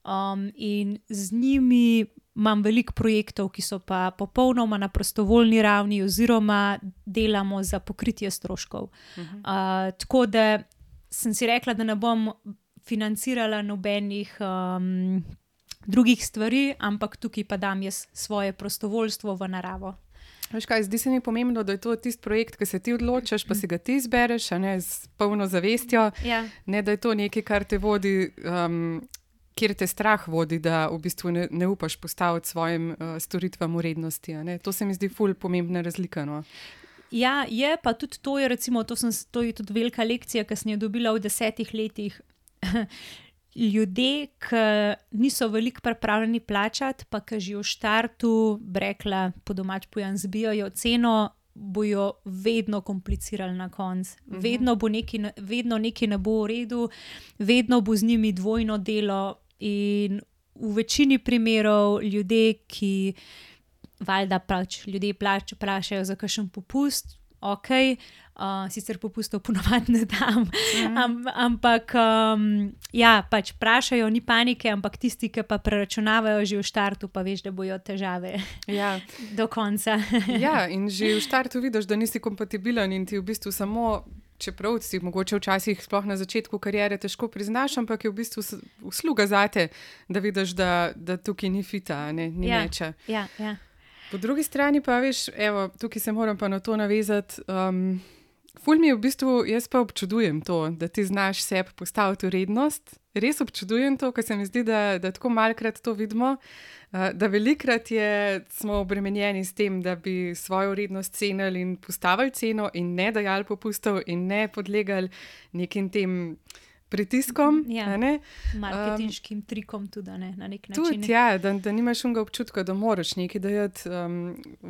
um, in z njimi imam veliko projektov, ki so pa popolnoma na prostovoljni ravni oziroma delamo za pokritje stroškov. Uh-huh. Uh, tako da sem si rekla, da ne bom financirala nobenih um, drugih stvari, ampak tukaj pa dam jaz svoje prostovoljstvo v naravo. Veš kaj, zdi se mi pomembno, da je to tisti projekt, ki se ti odločiš, pa si ga ti izbereš, a ne s polno zavestjo, Ja. ne da je to nekaj, kar te vodi, um, kjer te strah vodi, da v bistvu ne, ne upaš postaviti svojim uh, storitvam vrednosti. A ne? To se mi zdi ful pomembna razlika. No? Ja, je pa tudi to, je, recimo, to, sem, to je tudi velika lekcija, ki sem jo dobila v desetih letih. Ljudje, ki niso veliko pripravljeni plačati, pa ki že v štartu, rekla po domač pojan, zbijajo ceno, bojo vedno komplicirali na koncu. Uh-huh. Vedno bo nekaj, vedno nekaj ne bo v redu, vedno bo z njimi dvojno delo in v večini primerov ljudje, ki valjda pač ljudje plač, prašajo za kakšen popust, ok, uh, sicer popustov ponovadi ne dam, mm. Am, ampak um, ja, pač prašajo, ni panike, ampak tisti, ki pa preračunavajo že v štartu, pa veš, da bojo težave Ja. do konca. Ja, in že v štartu vidiš, da nisi kompatibilen in ti v bistvu samo, čeprav si mogoče včasih sploh na začetku kariere težko priznaš, ampak je v bistvu usluga zate, da vidiš, da, da tukaj ni fita, ne, ni Ja, meča. ja, ja. Po drugi strani pa, veš, evo, tukaj se moram pa na to navezati. Um, ful mi je v bistvu, jaz pa občudujem to, da ti znaš sebi postaviti vrednost. Res občudujem to, ker se mi zdi, da, da tako malkrat to vidimo, uh, da velikrat je, smo obremenjeni s tem, da bi svojo vrednost cenili in postavili ceno in ne dajali popustov in ne podlegali nekim tem pritiskom. Ja. a ne. Marketinškim um, trikom tudi, ne, na nek način. Tudi, ja, da, da nimaš unga občutka, da moraš nekaj dajati um,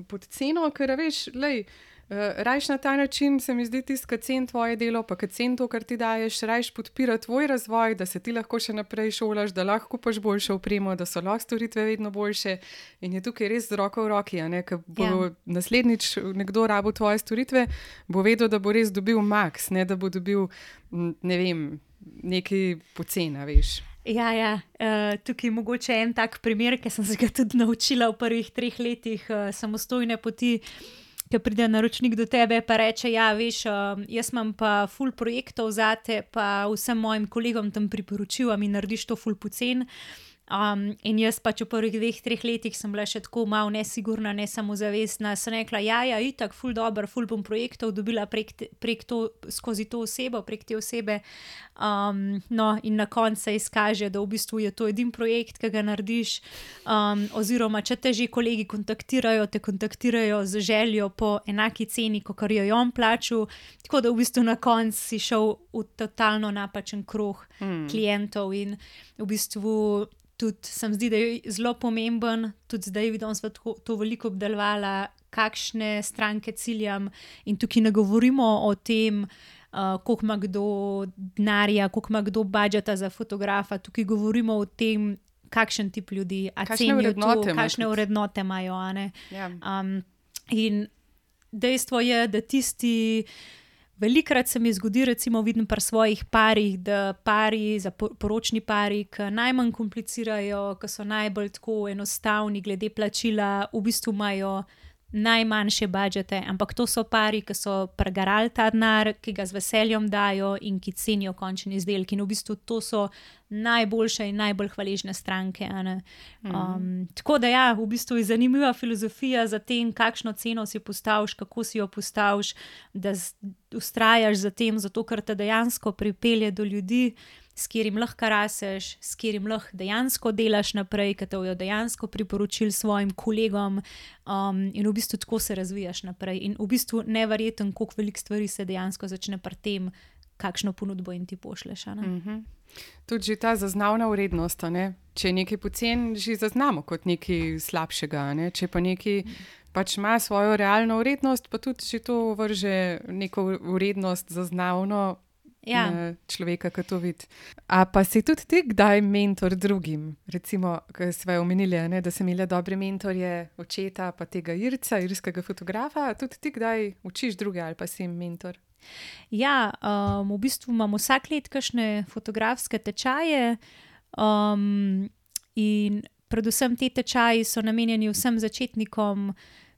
pod ceno, ker veš, lej, uh, rajš na ta način, se mi zdi tisto, ki cen tvoje delo, pa ki cen to, kar ti daješ, rajš podpira tvoj razvoj, da se ti lahko še naprej šolaš, da lahko kupaš boljšo opremo, da so lahko storitve vedno boljše in je tukaj res z roko v roki, a ne, ker bo Ja. naslednjič nekdo rabo tvoje storitve, bo vedel, da bo res dobil maks, ne da bo dobil, m, ne vem, nekaj pocena, veš. Ja, ja. Uh, tukaj je mogoče en tak primer, ki sem se ga tudi naučila v prvih treh letih uh, samostojne poti, ki pride naročnik do tebe pa reče, ja, veš, uh, jaz imam pa ful projektov zate, pa vsem mojim kolegom tam priporočil, a mi narediš to ful pocen. Um, in jaz pač v prvih dveh, treh letih sem bila še tako malo nesigurna, ne samozavestna. Sem rekla, ja, ja, itak, ful dober, ful bom projektov dobila prek, te, prek to, skozi to osebo, prek te osebe. Um, no, in na koncu se izkaže, da v bistvu je to edin projekt, ki ga narediš. Um, oziroma, če te že kolegi kontaktirajo, te kontaktirajo z željo po enaki ceni, kot jo je on plačal. Tako da v bistvu na koncu si šel v totalno napačen krog mm. klientov in v bistvu tudi se mi zdi, da je zelo pomemben, tudi zdaj vidim, da sem to veliko obdelovala, kakšne stranke ciljam in tukaj ne govorimo o tem, uh, koliko ima kdo denarja, koliko ima kdo budžeta za fotografa, tukaj govorimo o tem, kakšen tip ljudi, a cenijo to, kakšne vrednote imajo. A ne? Ja. Um, in dejstvo je, da tisti velikrat se mi zgodi, recimo vidim pri svojih parih, da pari, za poročni pari, ki najmanj komplicirajo, ki so najbolj tako enostavni glede plačila, v bistvu imajo najmanjše budžete, ampak to so pari, ki so pregarali ta denar, ki ga z veseljem dajo in ki cenijo končni izdelek. In v bistvu to so najboljše in najbolj hvaležne stranke. Um, mm. Tako da ja, v bistvu je zanimiva filozofija za tem, kakšno ceno si postaviš, kako si jo postaviš, da vztrajaš za tem, zato ker te dejansko pripelje do ljudi, s katerim lahko raseš, s katerim lahko dejansko delaš naprej, ki te bodo dejansko priporočili svojim kolegom, um, in v bistvu tako se razvijaš naprej. In v bistvu neverjeten, koliko veliko stvari se dejansko začne pri tem, kakšno ponudbo jim ti pošleš. Mm-hmm. Tudi že ta zaznavna vrednost, ne? Če je nekaj pocen, že zaznamo kot nekaj slabšega, ne? Če pa nekaj pač ima svojo realno vrednost, pa tudi že to vrže neko vrednost zaznavno, ja, človeka, ki to vidi. A pa si tudi ti kdaj mentor drugim? Recimo, ko sva omenili, ne, da sem imela dobre mentorje, očeta, pa tega Irca, irskega fotografa, tudi ti kdaj učiš druge ali pa si jim mentor? Ja, um, v bistvu imam vsak let kakšne fotografske tečaje, um, in predvsem te tečaji so namenjeni vsem začetnikom.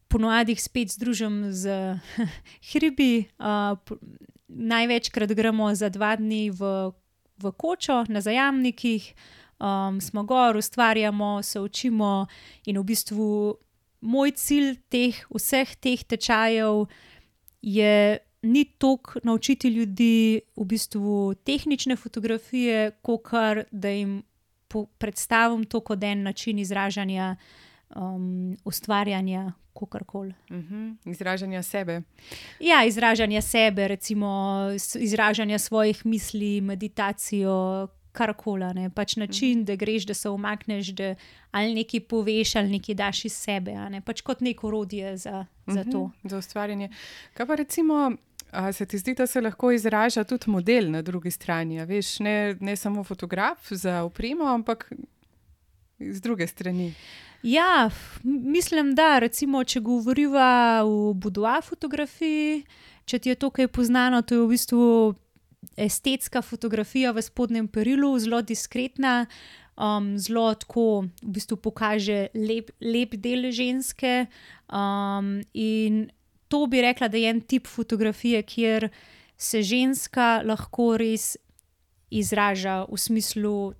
Ponovadi jih spet združim z hribi. Uh, največkrat gremo za dva dni v v kočo na Zajamnikih, um, smo gor, ustvarjamo, se učimo in v bistvu moj cilj teh, vseh teh tečajev je ni toliko naučiti ljudi v bistvu tehnične fotografije, kakor da jim po, predstavim to kot en način izražanja, um, ustvarjanja, kakorkoli. Uh-huh. Izražanja sebe. Ja, izražanja sebe, recimo izražanja svojih misli, meditacijo, karkoli. Ne? Pač način, uh-huh. da greš, da se umakneš, da ali nekaj poveš, ali nekaj daš iz sebe. Ne? Pač kot neko orodje za, za uh-huh. to. Za ustvarjanje. Kaj pa recimo, a se ti zdi, da se lahko izraža tudi model na drugi strani? A veš, ne, ne samo fotograf za opremo, ampak z druge strani. Ja, mislim, da recimo, če govoriva o boudoir fotografiji, če ti je to kaj poznano, to je v bistvu estetska fotografija v spodnjem perilu, zelo diskretna, um, zelo tako v bistvu pokaže lep, lep del ženske um, in to bi rekla, da je en tip fotografije, kjer se ženska lahko res izraža v smislu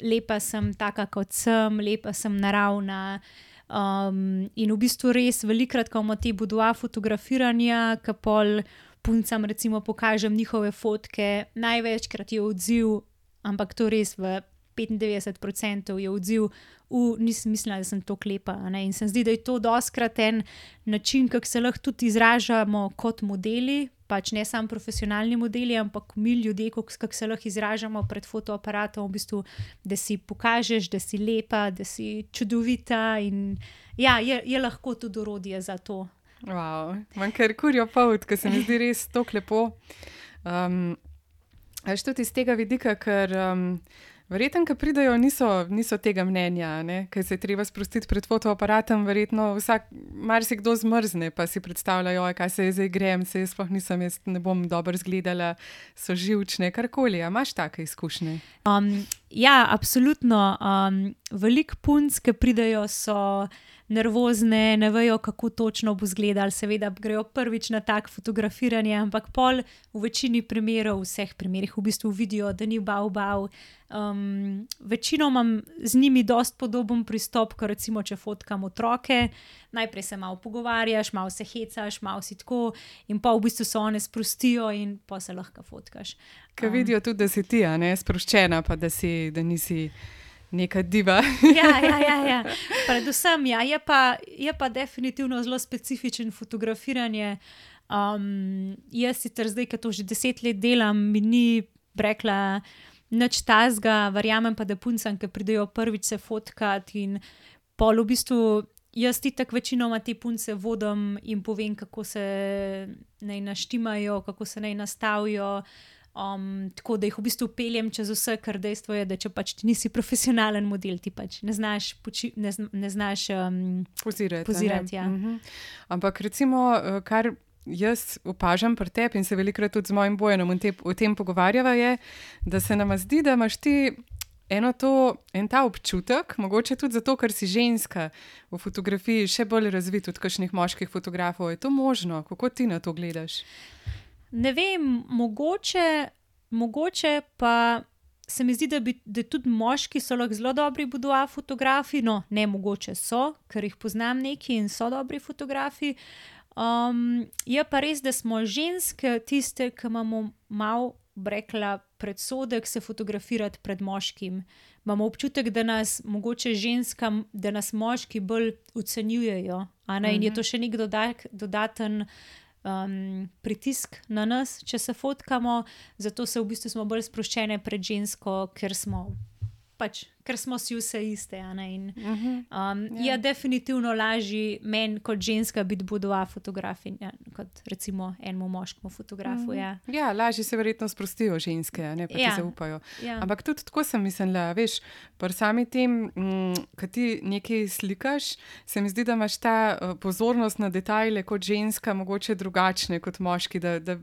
lepa sem taka, kot sem, lepa sem naravna. Um, in v bistvu res velikrat, ko imamo te boudoir fotografiranja, ki pol puncam recimo pokažem njihove fotke, največkrat je odziv, ampak to res v petindevetdeset procentov je odziv, v nisem mislila, da sem tako lepa. Ne? In se zdi, da je to dostkrat en način, kako se lahko tudi izražamo kot modeli, pač ne samo profesionalni modeli, ampak mi ljudje, kako se lahko izražamo pred fotoaparatom, v bistvu, da si pokažeš, da si lepa, da si čudovita in ja, je, je lahko tudi orodje za to. Wow, imam kar kurjo pout, ker se mi zdi res tako lepo. Um, až tudi iz tega vidika, ker um, verjetno, ki pridejo, niso, niso tega mnenja, ker se je treba sprostiti pred fotoaparatom, verjetno vsak, marsikdo zmrzne, pa si predstavljajo, kaj se je zdaj grem, se jaz sploh nisem, jaz ne bom dobro izgledala, so živčne, karkoli. A imaš take izkušnje? Um, ja, absolutno. Um, veliko punc, ki pridejo, so nervozne, ne vejo, kako točno bo izgledalo, seveda grejo prvič na tak fotografiranje, ampak pol v večini primerov, v vseh primerih v bistvu vidijo, da ni bav bav. Um, večino imam z njimi dost podoben pristop, ko recimo, če fotkam otroke, najprej se malo pogovarjaš, malo se hecaš, malo si tako in pa v bistvu se one sprostijo in pa se lahko fotkaš. Ko um, vidijo tudi, da si ti, a ne, sproščena, pa da, si, da nisi neka diva. ja, ja, ja, ja. Predvsem, ja, je pa, je pa definitivno zelo specifičen fotografiranje. Um, jaz sicer zdaj, ko to že deset let delam, mi ni rekla nič tazga, verjamem pa, da puncam, ki pridejo prvič se fotkat in pol v bistvu jaz itak večinoma te punce vodim in povem, kako se naj naštimajo, kako se naj nastavijo. Um, tako da jih v bistvu peljem čez vse, ker dejstvo je, da če pač ti nisi profesionalen model, ti pač ne znaš, poči, ne, ne znaš um, pozirati. pozirati ja. uh-huh. Ampak recimo, kar jaz opažam pri tebi in se velikokrat tudi z mojim Bojanom te, o tem pogovarjava je, da se nama zdi, da imaš ti eno to, en ta občutek, mogoče tudi zato, ker si ženska v fotografiji še bolj razvit od kakšnih moških fotografov. Je to možno? Kako ti na to gledaš? Ne vem, mogoče, mogoče pa se mi zdi, da, bi, da tudi moški so lahko zelo dobri boudoir fotografi, no ne mogoče so, ker jih poznam neki in so dobri fotografi. Um, je pa res, da smo ženske tiste, ki imamo malo, rekla, predsodek se fotografirati pred moškim. Imamo občutek, da nas mogoče ženskam, da nas moški bolj ocenjujejo, a ne? In je to še nek dodak, dodaten Um, pritisk na nas, če se fotkamo, zato se v bistvu smo bolj sproščene pred žensko, ker smo pač, ker smo si vse iste. In, um, yeah. Je definitivno lažje meni kot ženska biti boudoir fotografinja, kot recimo enemu moškemu fotografu. Mm-hmm. Ja. ja, lažje se verjetno sprostijo ženske, ne pa ja. ti zaupajo. Ja. Ampak tudi tako sem mislila, veš, pri sami tem, mm, ko ti nekaj slikaš, se mi zdi, da imaš ta uh, pozornost na detajle kot ženska mogoče drugačne kot moški, da, da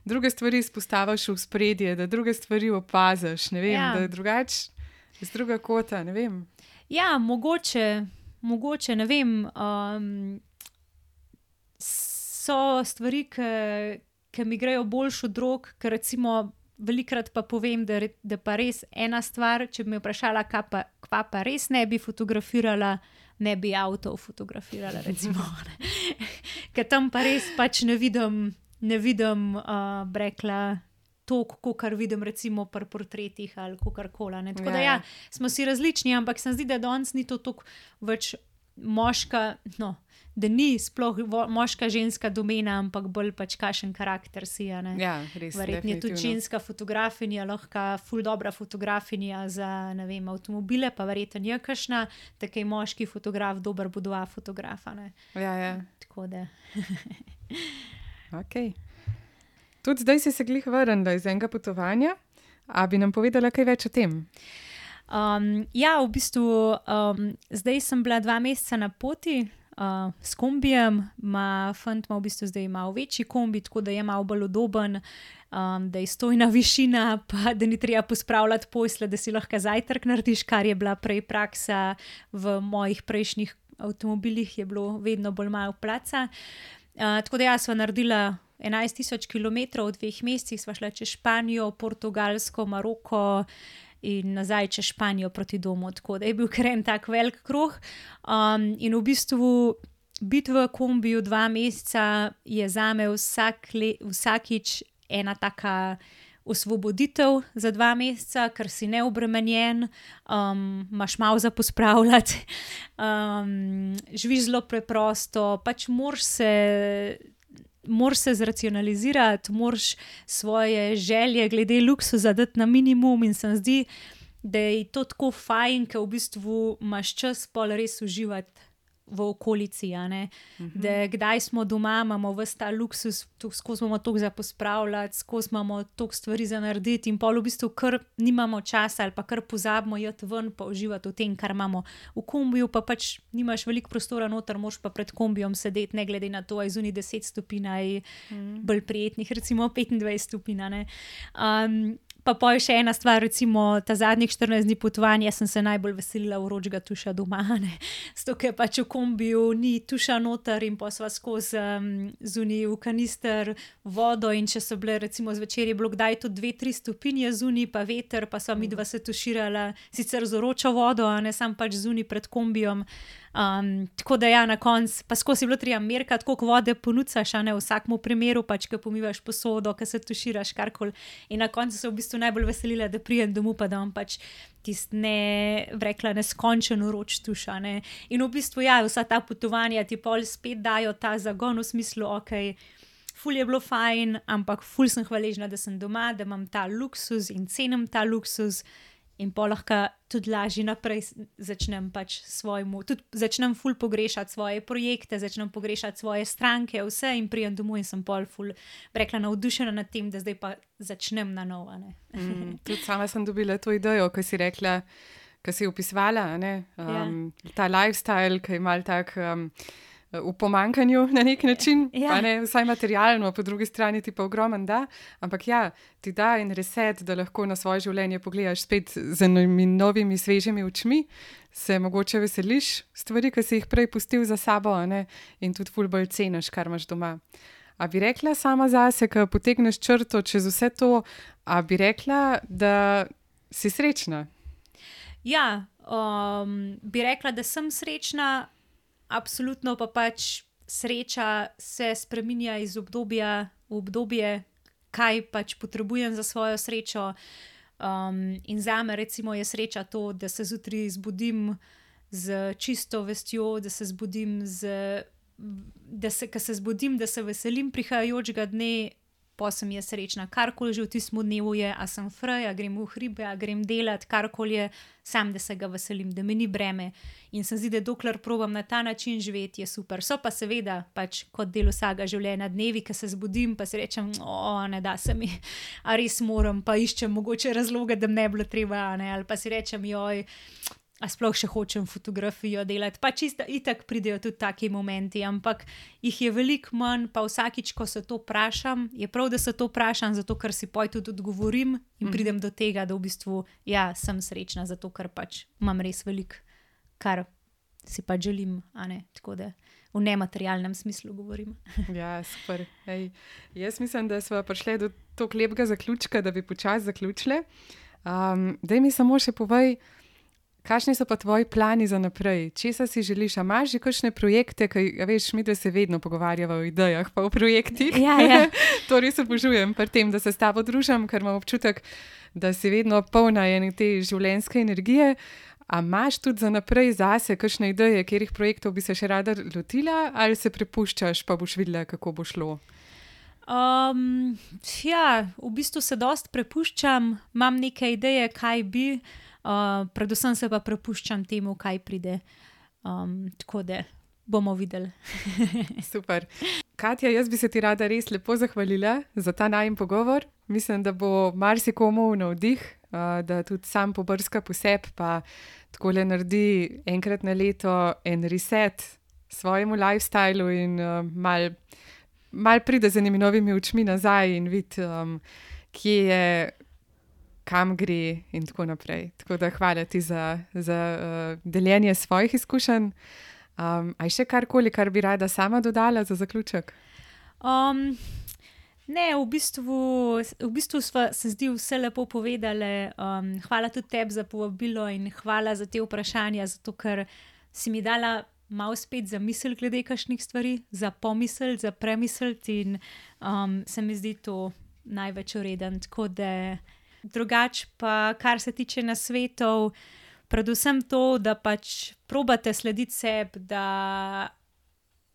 druge stvari izpostaviš v spredje, da druge stvari opaziš, ne vem, ja. da je drugač. Iz druga kota, ne vem. Ja, mogoče, mogoče, ne vem. Um, so stvari, ki mi grejo boljš od rok, ker recimo velikrat pa povem, da, da pa res ena stvar, če bi me vprašala, kaj pa, kva pa res ne bi fotografirala, ne bi avtov fotografirala, recimo. Ker tam pa res pač ne vidim, ne vidim, uh, rekla, to, kar vidim recimo pri portretih ali kakorkoli. Tako ja, da ja, smo si različni, ampak se mi zdi, da danes ni to toliko več moška, no, da ni sploh moška ženska domena, ampak bolj pač kakšen karakter si. Ja, res. Verjetno je tudi ženska fotografinja, lahko ful dobra fotografinja za, ne vem, avtomobile, pa verjetno je kakšna, tako je moški fotograf, dober bo dva fotografa. Ne? Ja, ja. Tako da. Ok. Tudi zdaj si se glih vrnila iz enega potovanja, a bi nam povedala kaj več o tem? Um, ja, v bistvu um, zdaj sem bila dva meseca na poti uh, s kombijem, ma fant ima v bistvu zdaj malo večji kombi, tako da je malo bolj udoben, um, da je stojna višina, pa da ni treba pospravljati posle, da si lahko zajtrk narediš, kar je bila prej praksa v mojih prejšnjih avtomobilih, je bilo vedno bolj malo placa. Uh, tako da ja, sva naredila enajst tisoč kilometrov v dveh mesecih, sva šla čez Španijo, Portugalsko, Maroko in nazaj čez Španijo proti domu, tako da je bil kar en tak velik kruh. Um, in v bistvu biti v kombiju dva meseca je zame vsak le, vsakič ena taka osvoboditev za dva meseca, ker si neobremenjen, um, imaš malo za pospravljati, um, živiš zelo preprosto, pač moraš se... Moraš se zracionalizirati, moraš svoje želje glede luksuza dati na minimum in se mi zdi, da je to tako fajn, ker v bistvu imaš čas pol res uživati v okolici, a ne. Uh-huh. Da kdaj smo doma, imamo ves ta luksus, skozi imamo toliko za pospravljati, skozi imamo toliko stvari za narediti in pol v bistvu kar nimamo časa ali pa kar pozabimo jeti ven pa uživati v tem, kar imamo v kombiju, pa pač nimaš veliko prostora noter, moraš pa pred kombijom sedeti, ne glede na to, aj zunaj deset stopinj, aj uh-huh. bolj prijetnih, recimo petindvajset stopinj, ne. Um, Pa pa je še ena stvar, recimo ta zadnjih štirinajst dni potovanja sem se najbolj veselila vročega tuša doma, ne. Zato, ker pač v kombiju ni tuša noter in pa sva skozi um, zunaj v kanister vodo in če so bile recimo zvečer je bilo kdaj tudi dve, tri stopinje zunaj pa veter, pa sva midva se tuširala sicer z vročo vodo, a ne sam pač zunaj pred kombijom. Um, tako da ja, na koncu, pa skozi je bilo treba merkati, koliko vode ponucaš, a ne v vsakmu primeru, pač, ko pomivaš posodo, ko se tuširaš, karkoli. In na koncu se v bistvu najbolj veselila, da prijem domov, pa da imam pač tist ne, rekla, neskončen vroč tuš, a ne. In v bistvu ja, vsa ta potovanja ti pol spet dajo ta zagon v smislu, okej, ful je bilo fajn, ampak ful sem hvaležna, da sem doma, da imam ta luksuz in cenim ta luksuz. In pa lahko tudi lažje naprej začnem pač svojemu, tudi začnem ful pogrešati svoje projekte, začnem pogrešati svoje stranke, vse in prijem domov in sem pol ful, rekla, navdušena nad tem, da zdaj pa začnem na novo, ne. Mm, tudi sama sem dobila to idejo, ko si rekla, ko si opisovala, ne, um, ja. Ta lifestyle, ki je mal tak... Um, v pomankanju na nek način, ja. Pa ne vsaj materialno, po drugi strani ti pa ogromen da, ampak ja, ti da en reset, da lahko na svoje življenje pogledaš spet z novimi svežimi očmi, se mogoče veseliš stvari, ki si jih prej pustil za sabo, a ne, in tudi ful bolj ceniš, kar imaš doma. A bi rekla sama zase, ko potegneš črto čez vse to, a bi rekla, da si srečna? Ja, um, bi rekla, da sem srečna, absolutno pa pač sreča se spreminja iz obdobja v obdobje, kaj pač potrebujem za svojo srečo. Um, in zame recimo je sreča to, da se zjutraj zbudim z čisto vestjo, da se zbudim z, da se, ko se zbudim, da se veselim prihajajočega dne, pa sem je srečna. Karkoli že v tistem dnevu je, a sem fraj, a grem v hribe, a grem delat, karkoli je, sam, da se ga veselim, da me ni breme. In se zdi, da dokler probam na ta način živeti, je super. So pa seveda, pač kot del vsega življenja dnevi, ko se zbudim, pa si rečem, o, ne da se mi, a res moram, pa iščem mogoče razloge, da mi ne bilo treba, ne, ali pa si rečem, joj, a sploh še hočem fotografijo delati, pa čisto itak pridejo tudi taki momenti, ampak jih je veliko manj, pa vsakič, ko se to vprašam, je prav, da se to vprašam, zato ker si poj tudi odgovorim in pridem do tega, da v bistvu, ja, sem srečna, zato ker pač imam res veliko, kar si pa želim, a ne, tako da v nematerialnem smislu govorim. Ja, super. Ej, jaz mislim, da smo prišli do tako lepega zaključka, da bi počasi zaključili. Um, daj mi samo še povej, kakšni so pa tvoji plani za naprej? Česa si želiš? A imaš že kakšne projekte, ki, veš, mi da se vedno pogovarjava o idejah pa o projektih. Ja, ja. To res obožujem pri tem, da se s tabo družim, ker imam občutek, da si vedno polna ene te življenjske energije. A imaš tudi za naprej zase kakšne ideje, katerih projektov bi se še rada lotila, ali se prepuščaš, pa boš videla, kako bo šlo? Um, ja, v bistvu se dost prepuščam, imam neke ideje, kaj bi, uh, predvsem se pa prepuščam temu, kaj pride. Um, tako da bomo videli. Super. Katja, jaz bi se ti rada res lepo zahvalila za ta najin pogovor. Mislim, da bo marsikomu navdih, uh, da tudi sam pobrska po sebi, pa takole naredi enkrat na leto en reset svojemu lifestylu in uh, mal, mal pride z enimi novimi očmi nazaj in vidi, um, kje je, kam gre in tako naprej. Tako da hvala ti za, za uh, deljenje svojih izkušenj. Um, a je še karkoli, kar bi rada sama dodala za zaključek? Um, ne, v bistvu, v bistvu sva se zdi vse lepo povedali. Um, hvala tudi tebi za povabilo in hvala za te vprašanja, zato ker si mi dala malo spet za misel glede kakšnih stvari, za pomisel, za premisliti in um, se mi zdi to največ vreden. Tako da drugače pa, kar se tiče nasvetov, predvsem to, da pač probate slediti sebi, da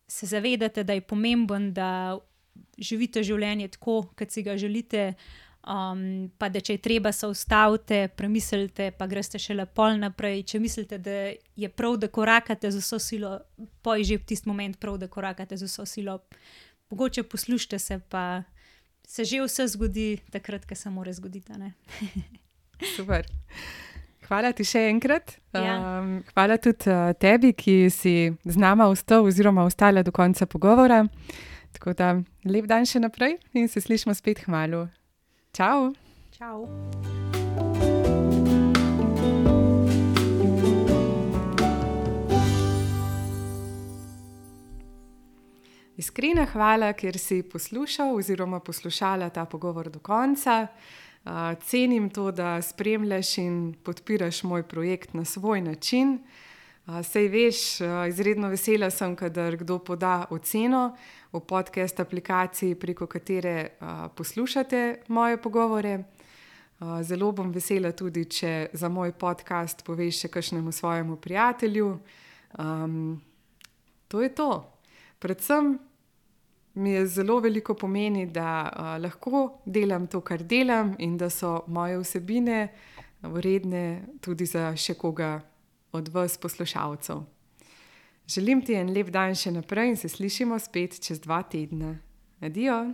se zavedate, da je pomemben, da živite življenje tako, kot si ga želite, um, pa da če je treba, se ustavite, premislite, pa greste šele pol naprej. Če mislite, da je prav, da korakate z vso silo, pa je že v tisti moment prav, da korakate z vso silo. Mogoče poslušajte se, pa se že vse zgodi takrat, ko se mora zgoditi, ne? Super. Hvala ti še enkrat. Ja. Um, hvala tudi uh, tebi, ki si z nama ostal oziroma ostala do konca pogovora. Tako da lep dan še naprej in se slišimo spet kmalu. Čau! Čau! Iskrena hvala, ker si poslušal oziroma poslušala ta pogovor do konca. Uh, cenim to, da spremljaš in podpiraš moj projekt na svoj način. Uh, sej veš, uh, izredno vesela sem, kadar kdo poda oceno v podcast aplikaciji, preko katere uh, poslušate moje pogovore. Uh, zelo bom vesela tudi, če za moj podcast poveš še kakšnemu svojemu prijatelju. Um, to je to. Predvsem mi je zelo veliko pomeni, da uh, lahko delam to, kar delam in da so moje vsebine vredne tudi za še koga od vas poslušalcev. Želim ti en lep dan še naprej in se slišimo spet čez dva tedna. Adijo!